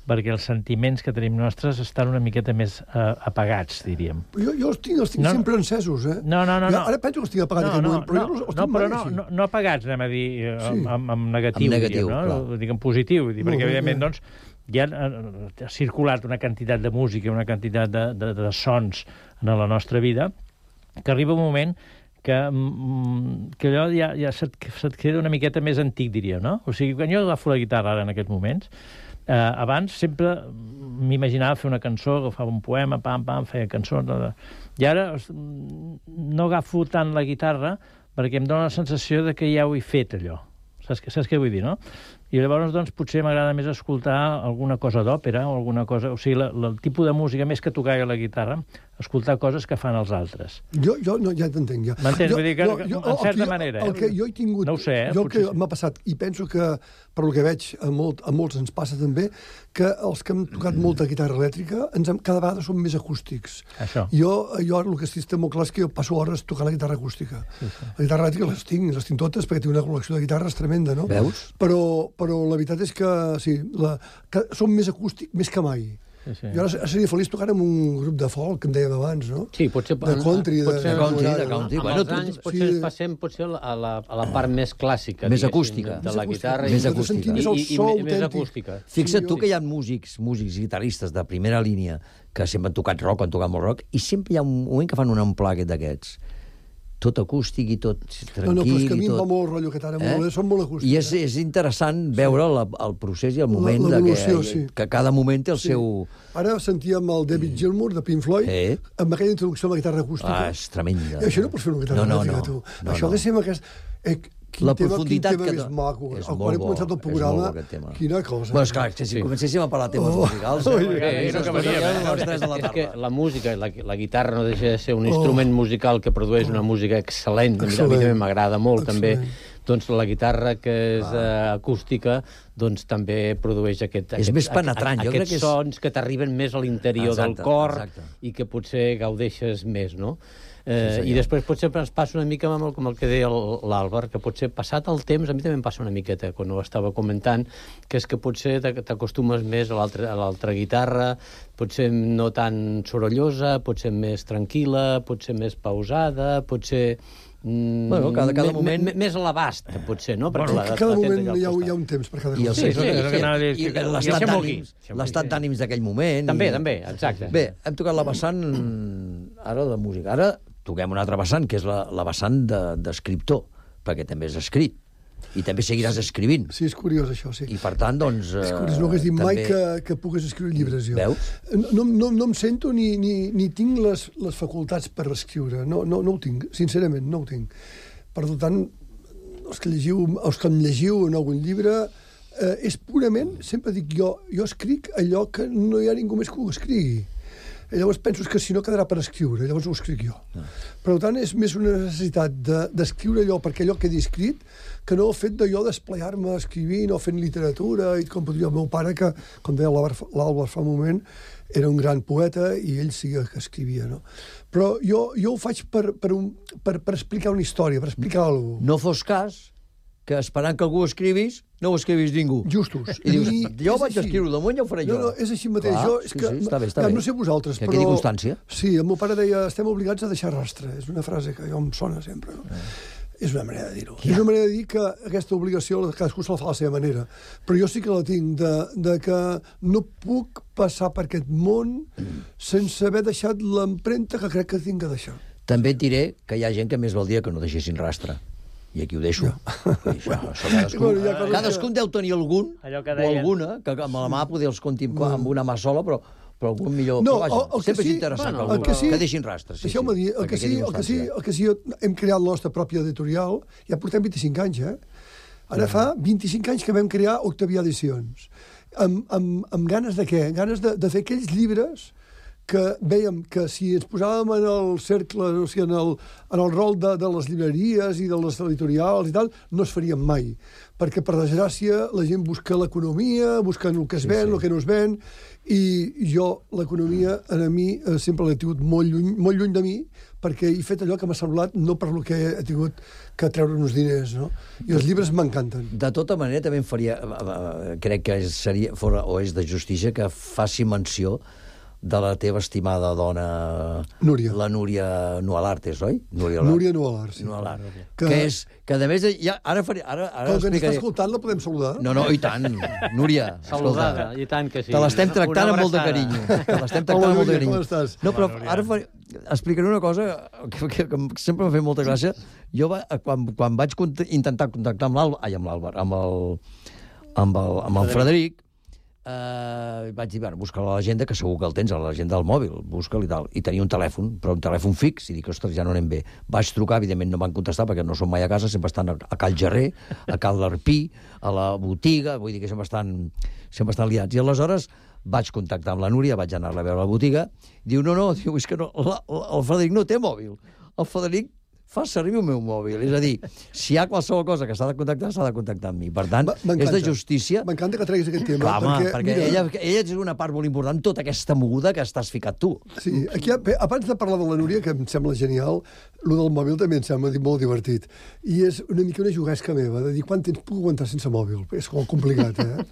G: perquè els sentiments que tenim nostres estan una miqueta més uh, apagats, diríem.
Q: Jo, jo els tinc, els tinc no, sempre encesos, eh?
G: No, no, no.
Q: Jo,
G: no.
Q: ara penso que els tinc apagats
G: no,
Q: en
G: no,
Q: moment, però
G: no,
Q: jo els, els
G: no,
Q: tinc
G: però
Q: mai
G: no,
Q: així.
G: no, no apagats, anem a dir, sí. amb, amb, amb negatiu,
E: amb negatiu,
G: diríem, no?
E: Clar.
G: Dic en positiu, dir, perquè,
Q: bé,
G: evidentment,
Q: bé.
G: doncs, ja ha circulat una quantitat de música, una quantitat de, de, de sons en la nostra vida, que arriba un moment que, que allò ja, ja se't, se't queda una miqueta més antic, diria, no? O sigui, quan jo agafo la guitarra ara en aquests moments, eh, abans sempre m'imaginava fer una cançó, agafava un poema, pam, pam, feia cançons... I ara no agafo tant la guitarra perquè em dóna la sensació de que ja ho he fet, allò. Saps, saps què vull dir, no? I llavors, doncs, potser m'agrada més escoltar alguna cosa d'òpera o alguna cosa... O sigui, la, la, el tipus de música, més que tocar la guitarra, escoltar coses que fan els altres.
Q: Jo, jo no, ja t'entenc, ja.
G: M'entens? Vull dir que,
Q: no,
G: que
Q: jo,
G: en certa
Q: el,
G: manera...
Q: El que jo he tingut...
G: No ho sé, eh?
Q: Jo el que
G: Potser...
Q: m'ha passat, i penso que, per el que veig, a, molt, a molts ens passa també, que els que hem tocat molta guitarra elèctrica ens hem, cada vegada som més acústics.
G: Això.
Q: Jo, jo ara el que estic molt clar és que jo passo hores tocant la guitarra acústica. Sí, sí. La guitarra elèctrica les tinc, les tinc totes, perquè tinc una col·lecció de guitarres tremenda, no?
E: Veus?
Q: Però, però la veritat és que, sí, la, que som més acústics més que mai.
G: Sí, sí.
Q: Jo ara seria feliç tocant amb un grup de folk, que em dèiem abans, no?
F: Sí, potser...
Q: De country, de,
F: potser,
Q: de,
E: country,
Q: de,
E: de country.
F: Amb
E: Bueno,
F: els anys
E: tu,
F: potser
Q: sí.
F: passem potser a la, a la part més clàssica,
E: Més
F: diguéssim,
E: acústica.
F: de la guitarra.
E: Més
F: i,
E: acústica.
F: I, i, i,
Q: so
F: i més
Q: autèntic.
F: acústica.
E: Fixa't
Q: Sí,
E: tu
Q: jo-
E: que hi ha músics, músics guitarristes de primera línia que sempre han tocat rock, han tocat molt rock, i sempre hi ha un moment que fan un amplàquet d'aquests. Tot acústic i tot tranquil.
Q: No, no, però és que a mi
E: i
Q: em
E: tot...
Q: va molt el rotllo aquest ara,
E: Eh?
Q: molt, són molt acústics.
E: I és, és interessant veure la, el procés i el moment de que,
Q: l'evolució, sí.
E: que cada moment té el
Q: Sí.
E: seu...
Q: Ara sentíem el David Gilmour, de Pink Floyd,
E: Eh?
Q: amb aquella introducció a la guitarra acústica.
E: Ah, és tremenda.
Q: I això no pots fer una guitarra
E: No, no,
Q: elèctrica,
E: no.
Q: tu.
E: No,
Q: Això
E: no.
Q: ha de ser amb aquest... Eh, quin
E: La
Q: tema,
E: profunditat
Q: quin tema
E: que
Q: més
E: do-
Q: maco.
E: és
Q: Quan
E: molt
Q: hem
E: bo,
Q: començat el
E: és
Q: programa,
E: molt bo, aquest tema.
Q: quina cosa.
E: Bueno, esclar, si
F: Sí.
E: comencéssim a parlar de temes
Q: Oh.
E: musicals...
Q: Oh,
E: eh,
Q: ja,
E: eh,
G: ja,
E: ens
G: ja,
E: posaríem
G: ja,
E: a les
G: ja.
E: tres de la
F: És que
E: tarda.
F: la música, la, la guitarra no deixa de ser un
Q: Oh.
F: instrument musical que produeix una música excel·lent. A mi- A mi
Q: Excel·lent.
F: també m'agrada molt,
Q: Excel·lent.
F: també. Doncs la guitarra que és uh, acústica doncs també produeix aquest,
E: És
F: aquest,
E: més penetrant, jo crec
F: aquests
E: que és-
F: sons que t'arriben més a l'interior del
E: Exacte,
F: cor
E: exacte.
F: i que potser gaudeixes més, no? Eh,
E: Sí, senyor.
F: I després potser ens passa una mica amb el, com el que deia el- l'Àlvar, que potser passat el temps, a mi també em passa una miqueta quan ho estava comentant, que és que potser t'ac- t'acostumes més a l'altra a l'altra guitarra, potser no tan sorollosa, potser més tranquil·la, potser més pausada, potser... Mm,
E: Bueno, cada- cada
F: me-
E: moment-
F: me- més a l'abast, potser, no?
Q: Bueno,
F: la-
Q: que cada
F: la tens
Q: moment
F: allà al
Q: hi ha,
F: costat.
Q: hi ha un temps per cada
E: I, el,
Q: cosa.
F: Sí,
E: sí,
F: sí,
E: sí,
F: és el que
G: anava a dir,
E: i
G: que- que
E: l'estat
G: se mogui.
E: d'ànims l'estat d'ànims d'aquell moment.
F: També,
E: i...
F: també, exacte.
E: Bé, hem tocat la vessant ara de música. Ara toquem una altra vessant, que és la, la vessant d'escriptor, de, perquè també has escrit. I també seguiràs escrivint.
Q: Sí, és curiós, això, sí.
E: I, per tant, doncs...
Q: És
E: eh,
Q: curiós, no hagués dit mai
E: també-
Q: que, que pogués escriure llibres, jo.
E: Veus?
Q: No, no, no em sento ni, ni, ni tinc les, les facultats per escriure. No, no, no ho tinc, sincerament, no ho tinc. Per tant, els que, llegiu, els que em llegiu en algun llibre, eh, és purament, sempre dic jo, jo escric allò que no hi ha ningú més que ho escrigui. I llavors penso que si no quedarà per escriure, llavors ho escric jo. No. Per tant, és més una necessitat d'escriure de, allò perquè allò quedi escrit que no el fet d'allò d'esplayar-me escrivint o fent literatura, i com podria el meu pare, que, com deia l'Àlvar fa un moment, era un gran poeta i ell sí que escrivia, no? Però jo, jo ho faig per, per, un, per, per explicar una història, per explicar alguna cosa.
E: No fos cas que esperant que algú escrivis, no ho escrivis ningú.
Q: Justos.
E: I dius, jo vaig escriure damunt, ja ho faré jo.
Q: No, no, és així mateix.
E: Clar,
Q: jo, és
E: sí,
Q: que,
E: sí, està bé, està bé.
Q: No sé vosaltres,
E: que
Q: però...
E: quedi constància.
Q: Sí, el meu pare deia, estem obligats a deixar rastre. És una frase que jo em sona sempre, no? Eh. És una manera de dir-ho. Ja. És una manera de dir que aquesta obligació cadascú se la fa a la seva manera. Però jo sí que la tinc, de, de que no puc passar per aquest món sense haver deixat l'empremta que crec que tinc que deixar.
E: També et diré que hi ha gent que més valdria que no deixessin rastre. I aquí ho deixo. Ja. Això, això cadascun, bueno, ja cadascun que... deu tenir algun, o alguna, que amb la mà poder els compti bueno. amb una mà sola, però però algun millor...
Q: No,
E: vaja,
Q: el, el
E: sempre
Q: sí,
E: és interessant
Q: bueno,
E: que, algú,
Q: que, sí,
E: que deixin rastres. Sí,
Q: deixeu-me dir, el que, sí, el, que sí, el que sí, hem creat la nostra pròpia editorial, ja portem vint-i-cinc anys, eh? Ara fa vint-i-cinc anys que vam crear Octavià Edicions. Amb, amb, amb ganes de què? Ganes de, de fer aquells llibres que vèiem que si ens posàvem en el cercle, o sigui, en el, en el rol de, de les llibreries i de les editorials i tal, no es farien mai. Perquè, per desgràcia, la gent busca l'economia, busquen el que es ven, sí, sí. el que no es ven, i jo, l'economia, a mi, sempre l'he tingut molt lluny, molt lluny de mi, perquè he fet allò que m'ha semblat, no per lo que he tingut que treure uns diners, no? I els llibres m'encanten.
E: De tota manera, també em faria... Crec que seria, fora, o és de justícia, que faci menció de la teva estimada dona...
Q: Núria.
E: La Núria Nualartes, oi?
Q: Núria Nualar, sí.
E: Nualar. Que, que és... Que a més... Ja, ara faré, ara, ara
Q: Com que ens està escoltant, la podem saludar?
E: No, no, i tant. Núria,
F: saludada, i tant que sí.
E: Te l'estem tractant amb molt de carinyo. Te l'estem tractant amb molt de carinyo.
Q: Com estàs?
E: No, però ara faré, explicaré una cosa que, que, que sempre m'ha fet molta gràcia. Jo, va, quan, quan vaig intentar contactar amb l'Àlvar, ai, amb l'Àlvar, amb el, amb el, amb el Frederic, Uh, vaig dir, bueno, busca a l'agenda, que segur que el tens a l'agenda del mòbil, busca-li i tal, i tenia un telèfon, però un telèfon fix, i dic, ostres, ja no anem bé. Vaig trucar, evidentment no van contestar perquè no són mai a casa, sempre estan a, a Cal Gerrer, a Cal l'Arpí, a la botiga, vull dir que sempre estan, sempre estan liats. I aleshores vaig contactar amb la Núria, vaig anar-la a veure a la botiga, diu, no, no, diu, és que no, la, la, el Frederic no té mòbil, el Frederic fa servir el meu mòbil. És a dir, si hi ha qualsevol cosa que s'ha de contactar, s'ha de contactar amb mi. Per tant, és de justícia...
Q: M'encanta que treguis aquest tema.
E: Clar, home,
Q: perquè,
E: perquè
Q: mira,
E: ella, ella és una part molt important, tota aquesta moguda que estàs ficat tu.
Q: Sí, aquí, abans de parlar de la Núria, que em sembla genial, el del mòbil també em sembla molt divertit. I és una mica una juguesca meva, de dir, quant temps puc aguantar sense mòbil? És molt complicat, eh?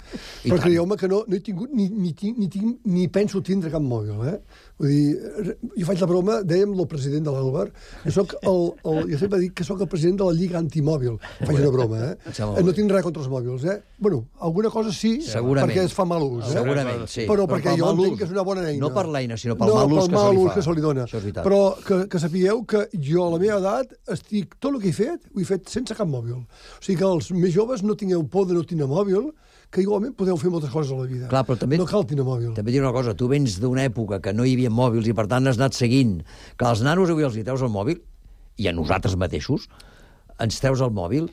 Q: Però creieu-me que no, no he tingut, ni, ni, ni, ni, ni penso tindre cap mòbil, eh? Vull dir, jo faig la broma, dèiem el president de l'Àlvar, jo soc el, el, jo sempre dic que soc el president de la Lliga Antimòbil. Faig una broma, eh? No tinc res contra els mòbils, eh? Bueno, alguna cosa sí, perquè es fa mal ús, eh?
E: Segurament, sí.
Q: Però perquè jo entenc que és una bona eina.
E: No per l'eina, sinó pel mal ús que se li fa.
Q: No, pel mal ús que se li dona. Però que, que sapigueu que jo, a la meva edat, estic... Tot el que he fet, ho he fet sense cap mòbil. O sigui que els més joves no tingueu por de no tenir mòbil, que igualment podeu fer moltes coses a la vida.
E: Clar, però també,
Q: no cal tenir mòbil.
E: També dir una cosa, tu vens d'una època que no hi havia mòbils i per tant has anat seguint que als nanos avui els hi treus el mòbil, i a nosaltres mateixos ens treus el mòbil,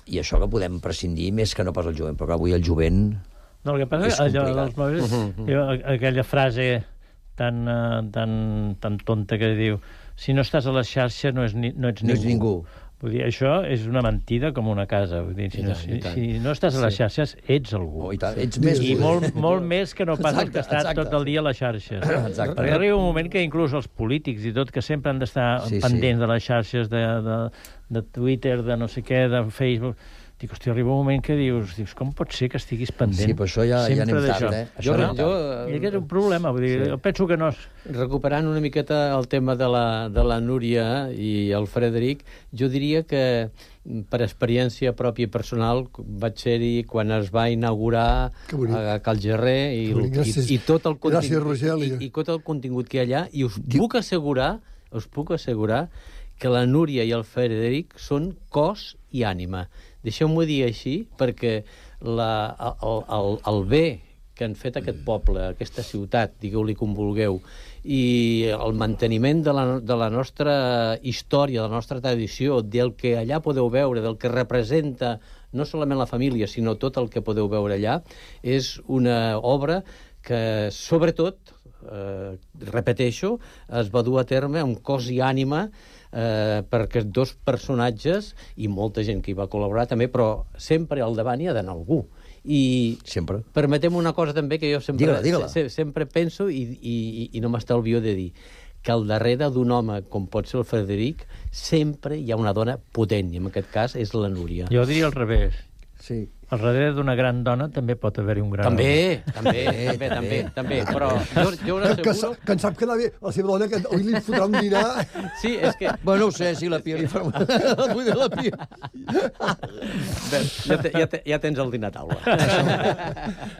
E: i això que podem prescindir més que no pas el jovent, però avui el jovent
G: no, el que passa és allò dels mòbils, uh -huh. aquella frase tan, uh, tan, tan tonta que diu, si no estàs a la xarxa no, és ni, no ets
E: no
G: ningú.
E: Ets ningú.
G: Vull dir, això és una mentida com una casa. Vull dir, si, no, si, si no estàs a les xarxes, ets algú.
E: Oh, i tant, ets més...
G: I molt, molt més que no pas el que està tot el dia a les xarxes.
E: Exacte.
G: Perquè arriba un moment que inclús els polítics i tot, que sempre han d'estar sí, pendents sí. de les xarxes, de, de, de Twitter, de no sé què, de Facebook... Dic, hòstia, arriba un moment que dius, dius com pot ser que estiguis pendent
E: sí, però això ja, ja anem tard, eh?
G: Això jo, jo, I aquest és un problema, vull dir, sí. jo penso que no...
F: Recuperant una miqueta el tema de la, de la Núria i el Frederic, jo diria que per experiència pròpia i personal vaig ser-hi quan es va inaugurar a Cal Gerrer i, i, i, tot el contingut, i, i tot el contingut que hi ha allà, i us puc assegurar, us puc assegurar que la Núria i el Frederic són cos i ànima. Deixeu-m'ho dir així, perquè la, el, el, el bé que han fet aquest poble, aquesta ciutat, digueu-li com vulgueu, i el manteniment de la, de la nostra història, de la nostra tradició, del que allà podeu veure, del que representa no solament la família, sinó tot el que podeu veure allà, és una obra que, sobretot, eh, repeteixo, es va dur a terme amb cos i ànima eh, per aquests dos personatges i molta gent que hi va col·laborar també, però sempre al davant hi ha d'anar algú. I
E: sempre.
F: Permetem una cosa també que jo sempre,
E: digue-la, digue-la.
F: se, sempre penso i, i, i no m'estalvio de dir que al darrere d'un home com pot ser el Frederic sempre hi ha una dona potent, i en aquest cas és la Núria.
G: Jo diria al revés.
E: Sí.
G: Al darrere d'una gran dona també pot haver-hi un gran
F: també,
G: home.
F: També, també, també, també, però jo, jo us
Q: Que, que,
F: asseguro...
Q: que en sap que bé, la seva dona, que avui li fotrà un dinar...
F: Sí, és que...
E: Bueno, no ho sé, si la Pia li fa... Vull dir, la Pia...
F: Bé, ja, te, ja, te, ja tens el dinar a taula.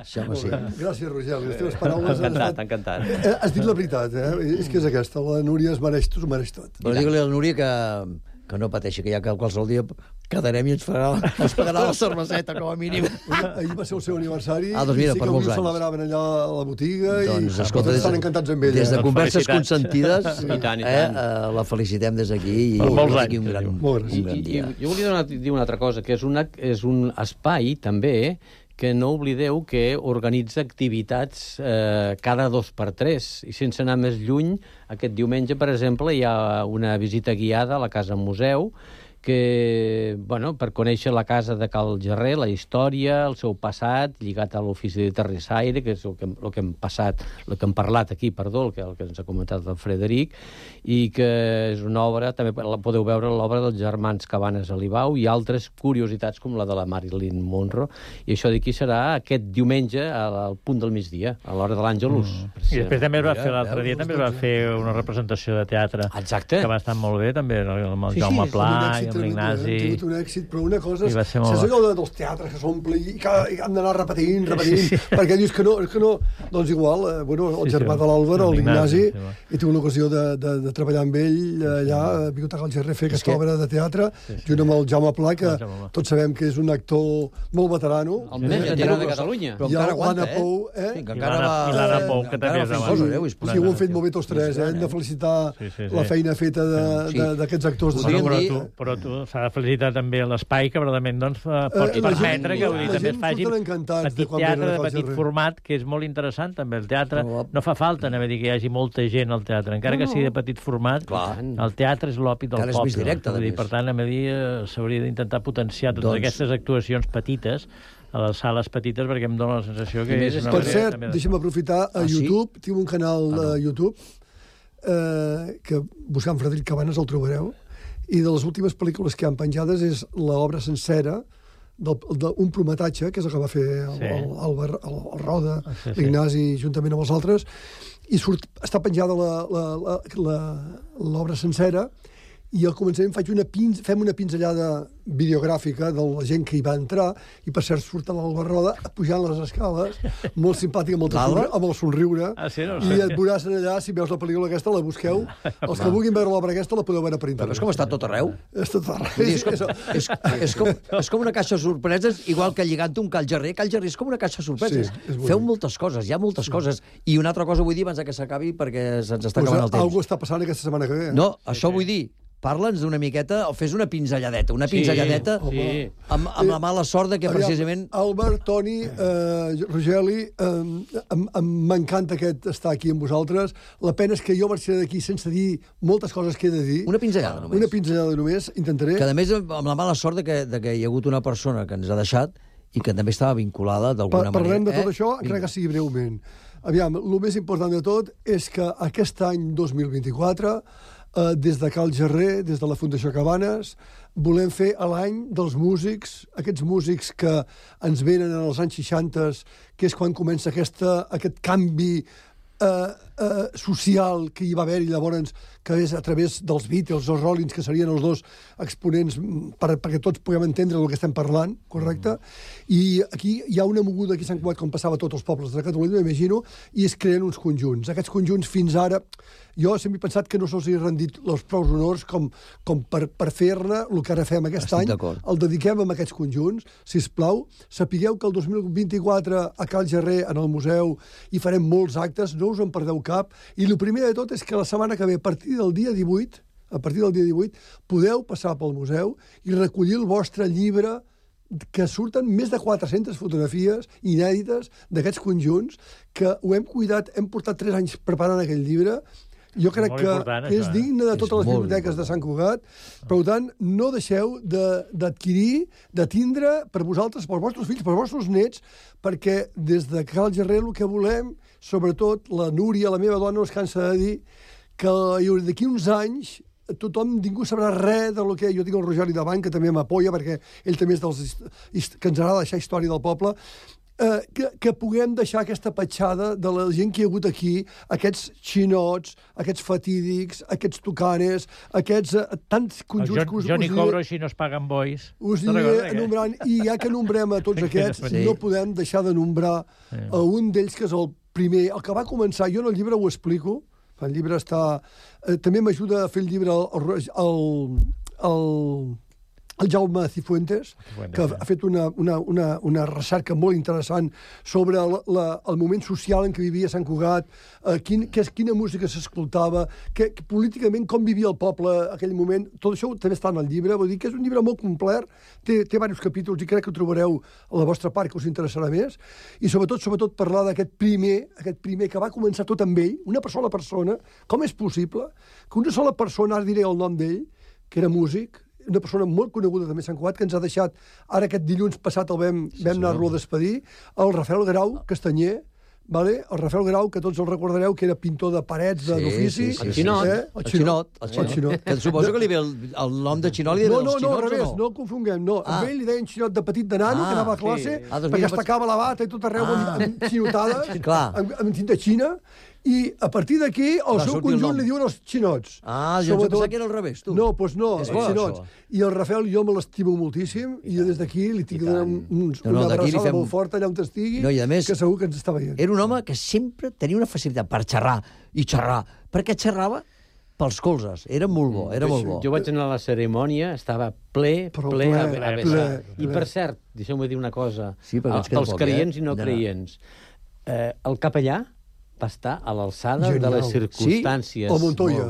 E: Això, home, sí.
Q: Gràcies, Rogel. Les teves paraules...
F: Encantat, encantat.
Q: Eh, has dit la veritat, eh? És que és aquesta. La Núria es mereix, tu es mereix tot.
E: Però digue-li a la Núria que, que no pateixi, que ja que qualsevol dia quedarem i ens, farà, ens pagarà la cerveseta, com a mínim.
Q: Ahir va ser el seu aniversari,
E: ah, doncs mira,
Q: i sí
E: per
Q: que
E: molts
Q: avui ho
E: anys.
Q: celebraven allà a la botiga,
E: doncs,
Q: i
E: escolta,
Q: estan encantats amb ella.
E: Des de
Q: eh?
E: converses consentides,
F: sí. I tant, i
E: eh,
F: tant.
E: eh, la felicitem des d'aquí i
G: per molts anys,
E: un gran,
Q: molt
E: un gran
F: I,
E: dia.
F: i, jo volia donar, dir una altra cosa, que és, una, és un espai, també, que no oblideu que organitza activitats eh, cada dos per tres. I sense anar més lluny, aquest diumenge, per exemple, hi ha una visita guiada a la Casa Museu, que, bueno, per conèixer la casa de Cal Gerrer, la història, el seu passat, lligat a l'ofici de terrissaire, que és el que, el que hem passat, el que hem parlat aquí, perdó, el que, el que ens ha comentat el Frederic, i que és una obra, també la podeu veure, l'obra dels germans Cabanes Alibau, i altres curiositats com la de la Marilyn Monroe, i això d'aquí serà aquest diumenge al punt del migdia, a l'hora de l'Àngelus.
G: Mm. I després també es va fer l'altre dia, també es va fer una representació de teatre.
F: Exacte.
G: Que va estar molt bé, també, amb el
Q: Sí,
G: Jaume
Q: sí,
G: Pla
Q: sí,
G: i amb l'Ignasi.
Q: Ha tingut un èxit, però una cosa és...
G: I va ser molt
Q: Saps
G: bo.
Q: allò de, dels teatres que s'omple i que i han d'anar repetint, repetint,
G: Sí, sí.
Q: perquè dius que no, és que no... Doncs igual, eh, bueno, el
G: Sí,
Q: germà
G: sí,
Q: de l'Àlvar, l'Ignasi,
G: sí, sí.
Q: he tingut l'ocasió de, de, de treballar amb ell allà, a Biblioteca del Gerrer, fer aquesta
E: que-
Q: obra de teatre,
G: Sí, sí.
Q: junt amb el Jaume Pla, que
G: El Jaume Pla.
Q: tots sabem que és un actor molt veterano.
F: El més veterà de Catalunya.
E: Però
Q: I
E: encara
Q: l'Anna
E: aguanta, eh?
Q: Pou, eh?
E: Sí, que
G: I
E: encara
G: l'Anna-
E: va...
G: i l'Anna Pou, que
E: encara
G: també
E: va
G: és
E: fent
G: davant.
E: coses, eh? Ui,
Q: O sigui, ho han fet molt bé tots tres, eh? Hem de felicitar
G: Sí, sí, sí.
Q: la feina feta de-
E: Sí.
Q: de- d'aquests actors. de
E: Podríem
G: Bueno,
Q: cinema.
G: però
E: dir-
G: tu, però tu s'ha de felicitar també l'espai que verdaderament doncs, fa- pot
Q: Eh, la gent-
G: permetre que
Q: la
G: vull dir, també es
Q: gent
G: faci
Q: surten encantats de
G: petit
Q: quan
G: teatre
Q: venen a
G: de
Q: Cal
G: petit
Q: Gerrer.
G: format, que és molt interessant també. El teatre
E: Però-
G: no fa falta anem a dir que hi hagi molta gent al teatre, encara que sigui de petit format.
E: Clar.
G: El teatre és l'opi del
E: Encara és
G: poble.
E: més directe,
G: Vull
E: a
G: dir,
E: més.
G: per tant, anem a dir, eh, s'hauria d'intentar potenciar totes
E: Doncs-
G: aquestes actuacions petites a les sales petites, perquè em dóna la sensació que
F: I més
G: és una
Q: Per
G: manera
Q: cert,
G: també de-
Q: deixa'm aprofitar a
E: Ah, sí?
Q: YouTube, tinc un canal a YouTube eh, que buscant Frederic Cabanes el trobareu, i de les últimes pel·lícules que han penjades és l'obra sencera d'un prometatge, que és el que va fer el,
G: Sí.
Q: el, el, el, el Roda,
G: Ah, sí, sí.
Q: l'Ignasi, juntament amb els altres, i surt, està penjada la- la- la- la- l'obra sencera, i al començament faig una pin, fem una pinzellada videogràfica de la gent que hi va entrar, i per cert surt l'Alba Roda pujant les escales, molt simpàtic, amb el, somriure, amb el somriure,
G: Ah, sí, no ho
Q: i
G: sé.
Q: et veuràs allà, si veus la pel·lícula aquesta, la busqueu. Els que vulguin veure l'obra aquesta la podeu veure per
E: Però
Q: internet.
E: és com està tot arreu.
Q: És tot arreu.
E: Vull dir, és, com, és, és, com, és com una caixa de sorpreses, igual que lligant un Cal Gerrer. Cal Gerrer és com una caixa de sorpreses.
Q: Sí, és bonic.
E: Feu moltes coses, hi ha moltes coses. I una altra cosa vull dir abans que s'acabi, perquè se'ns està
Q: Pues,
E: acabant el temps.
Q: algú està passant aquesta setmana que ve. Eh?
E: No, això vull dir, parla'ns d'una miqueta, o fes una pinzelladeta, una pinzelladeta
F: sí.
E: amb, amb la mala sort de que
Q: Aviam,
E: precisament...
Q: Albert, Toni, eh, Rogeli, eh, em- em- m'encanta aquest estar aquí amb vosaltres. La pena és que jo marxaré d'aquí sense dir moltes coses que he de dir.
E: Una pinzellada només.
Q: Una pinzellada només, intentaré.
E: Que a més amb la mala sort de que, de que hi ha hagut una persona que ens ha deixat i que també estava vinculada d'alguna
Q: Pa
E: manera.
Q: Parlem de tot
E: eh?
Q: això, encara que sigui breument. Aviam, el més important de tot és que aquest any dos mil vint-i-quatre, eh, des de Cal Gerrer, des de la Fundació Cabanes, volem fer a l'any dels músics, aquests músics que ens venen en els anys seixanta, que és quan comença aquesta, aquest canvi eh, eh, social que hi va haver-hi llavors, que és a través dels Beatles, els Rollins, que serien els dos exponents per, perquè tots puguem entendre el que estem parlant, correcte? I aquí hi ha una moguda aquí a Sant Cugat, com passava a tots els pobles de Catalunya, m'imagino, i es creen uns conjunts. Aquests conjunts fins ara, jo sempre he pensat que no se'ls ha rendit els prous honors com, com per, per fer-ne el que ara fem aquest
E: Estic
Q: any,
E: d'acord.
Q: el dediquem a aquests conjunts, si plau. Sapigueu que el dos mil vint-i-quatre a Cal Gerrer, en el museu, hi farem molts actes, no us en perdeu cap, i el primer de tot és que la setmana que ve, a partir del dia divuit, a partir del dia divuit, podeu passar pel museu i recollir el vostre llibre que surten més de quatre-centes fotografies inèdites d'aquests conjunts, que ho hem cuidat, hem portat tres anys preparant aquell llibre. Jo crec que, que és digne de totes les biblioteques de Sant Cugat. Per tant, no deixeu d'adquirir, de tindre per vosaltres, pels vostres fills, pels vostres nets, perquè des de Cal Gerrer el que volem, sobretot la Núria, la meva dona, no es cansa de dir que d'aquí uns anys tothom, ningú sabrà res del que... Jo tinc el Rogeri davant, que també m'apoya, perquè ell també és dels que ens agrada deixar història del poble, eh, que, que puguem deixar aquesta petjada de la gent que hi ha hagut aquí, aquests xinots, aquests fatídics, aquests tucanes, aquests eh, tants conjunts...
G: El John, Johnny Cobro, així no es paguen bois.
Q: Us aniré enumerant, i ja que nombrem a tots aquests, sí. no podem deixar de nombrar sí. a un d'ells que és el primer, el que va començar, jo en el llibre ho explico. El llibre està... Eh, també m'ajuda a fer el llibre el, el, el, el Jaume Cifuentes, Cifuentes que ha fet una, una, una, una recerca molt interessant sobre el, la, el moment social en què vivia Sant Cugat, eh, quin, que, quina música s'escoltava, que, que políticament com vivia el poble en aquell moment. Tot això també està en el llibre. Vull dir que és un llibre molt complet, té, té diversos capítols i crec que ho trobareu a la vostra part, que us interessarà més. I sobretot, sobretot parlar d'aquest primer, aquest primer que va començar tot amb ell, una sola persona. Com és possible que una sola persona, ara diré el nom d'ell, que era músic, una persona molt coneguda també a Sant Cugat, que ens ha deixat, ara aquest dilluns passat el vam, sí, vam anar-lo a despedir, el Rafael Grau Castanyer, vale? El Rafael Grau, que tots el recordareu, que era pintor de parets sí, d'ofici.
E: Sí, sí, el Xinot. Eh? El, el Xinot. El Xinot. El Xinot. Que suposo que li ve el, el nom de Xinot, li ve
Q: no,
E: els
Q: no,
E: xinots,
Q: no, al revés,
E: no?
Q: no el confonguem, no. Ah. A ell li deien Xinot de petit de nano, ah, que anava a classe,
E: sí. ah, doncs
Q: perquè es tacava la bata i tot arreu ah. amb xinotades, amb, amb tinta xina, i a partir d'aquí el seu conjunt li diuen els xinots.
E: Ah, jo Sobretot... pensava que era al revés, tu.
Q: No, doncs no, els xinots. I el Rafael jo me l'estimo moltíssim, i jo des d'aquí li tinc una, un, no, no, una abraçada fem... molt forta allà on estigui,
E: no, més,
Q: que segur que ens està veient.
E: Era un home que sempre tenia una facilitat per xerrar, i xerrar, perquè xerrava pels colzes. Era molt bo, era molt bo.
F: Jo vaig anar a la cerimònia, estava ple, ple, ple, a, a ple, I per cert, deixeu-me dir una cosa, sí, pels creients eh? i no creients, eh, el capellà va estar a l'alçada de les circumstàncies.
Q: Sí? O Montoya.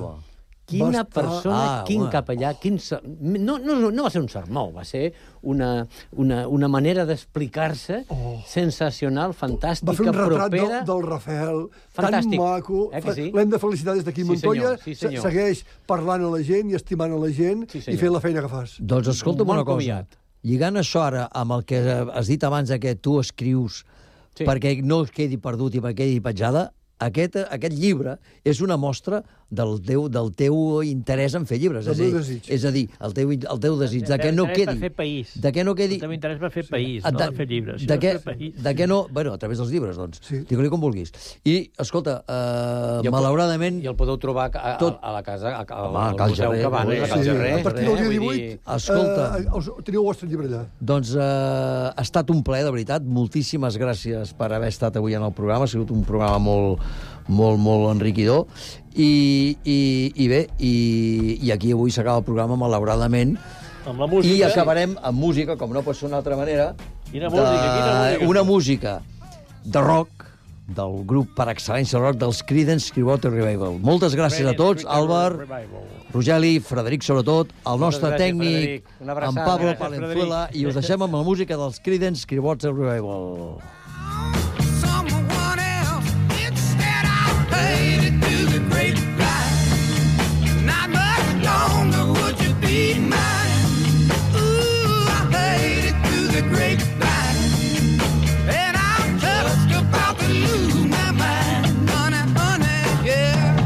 F: Quina persona, ah, quin una. capellà, quin... No, no, no va ser un sermó, va ser una, una, una manera d'explicar-se oh. sensacional, fantàstica, propera... Va fer un retrat
Q: propera. Del, del Rafael,
F: Fantàstic.
Q: tan maco.
F: Eh sí?
Q: L'hem de felicitar des d'aquí.
F: Sí,
Q: Montoya
F: senyor, sí, senyor.
Q: segueix parlant a la gent i estimant a la gent sí, i fent la feina que fas.
E: Doncs escolta'm una cosa. Comiat. Lligant això ara amb el que has dit abans que tu escrius sí. perquè no es quedi perdut i perquè quedi petjada, Aquest, aquest llibre és una mostra del teu, del teu interès en fer llibres.
Q: El teu desig.
E: És a dir, el teu, el teu desig, de que no quedi...
G: per fer país.
E: De que no quedi...
G: El teu interès per fer país, sí. no de, fer llibres.
E: De, que, de que no... Bueno, a través dels llibres, doncs. Sí. Digue-li com vulguis. I, escolta, uh, I malauradament...
F: I el podeu trobar a, a,
E: tot...
F: a la casa, a, a,
E: Home,
F: al Museu Cabanes, a Cal Gerrer.
Q: A partir del dia divuit,
E: escolta,
Q: uh, teniu el vostre llibre allà.
E: Doncs uh, ha estat un plaer, de veritat. Moltíssimes gràcies per haver estat avui en el programa. Ha sigut un programa molt... molt, molt enriquidor, i, i, i bé, i, i aquí avui s'acaba el programa, malauradament,
G: amb la música,
E: i acabarem amb música, com no pot ser d'una altra manera,
G: quina música, de, quina música?
E: Una música de rock, del grup per excel·lència rock dels Creedence Clearwater Revival. Moltes gràcies a tots, Àlvar, Rogeli, Frederic, sobretot, el nostre tècnic, en Pablo Palenzuela, i us deixem amb la música dels Creedence Clearwater Revival. Not much longer would you be mine. Ooh, I made it through the grapevine, and I'm just about to lose my mind. Honey, honey, yeah.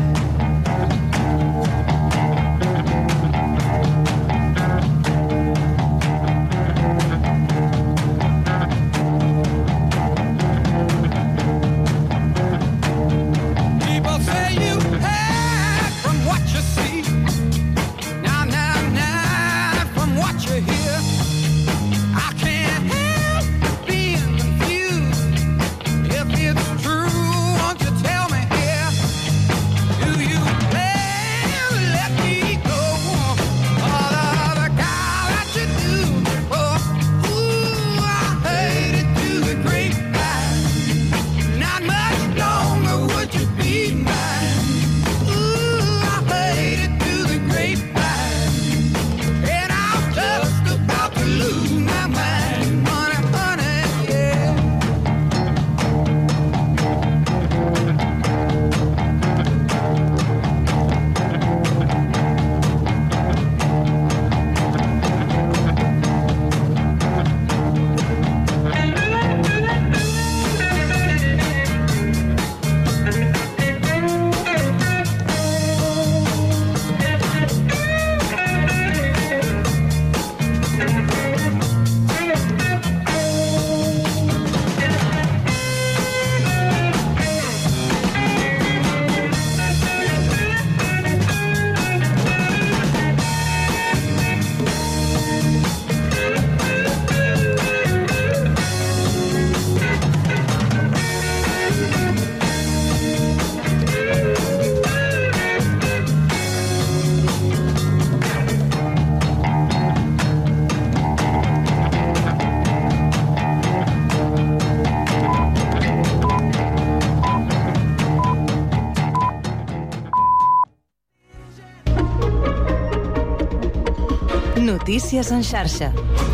O: Notícies en xarxa.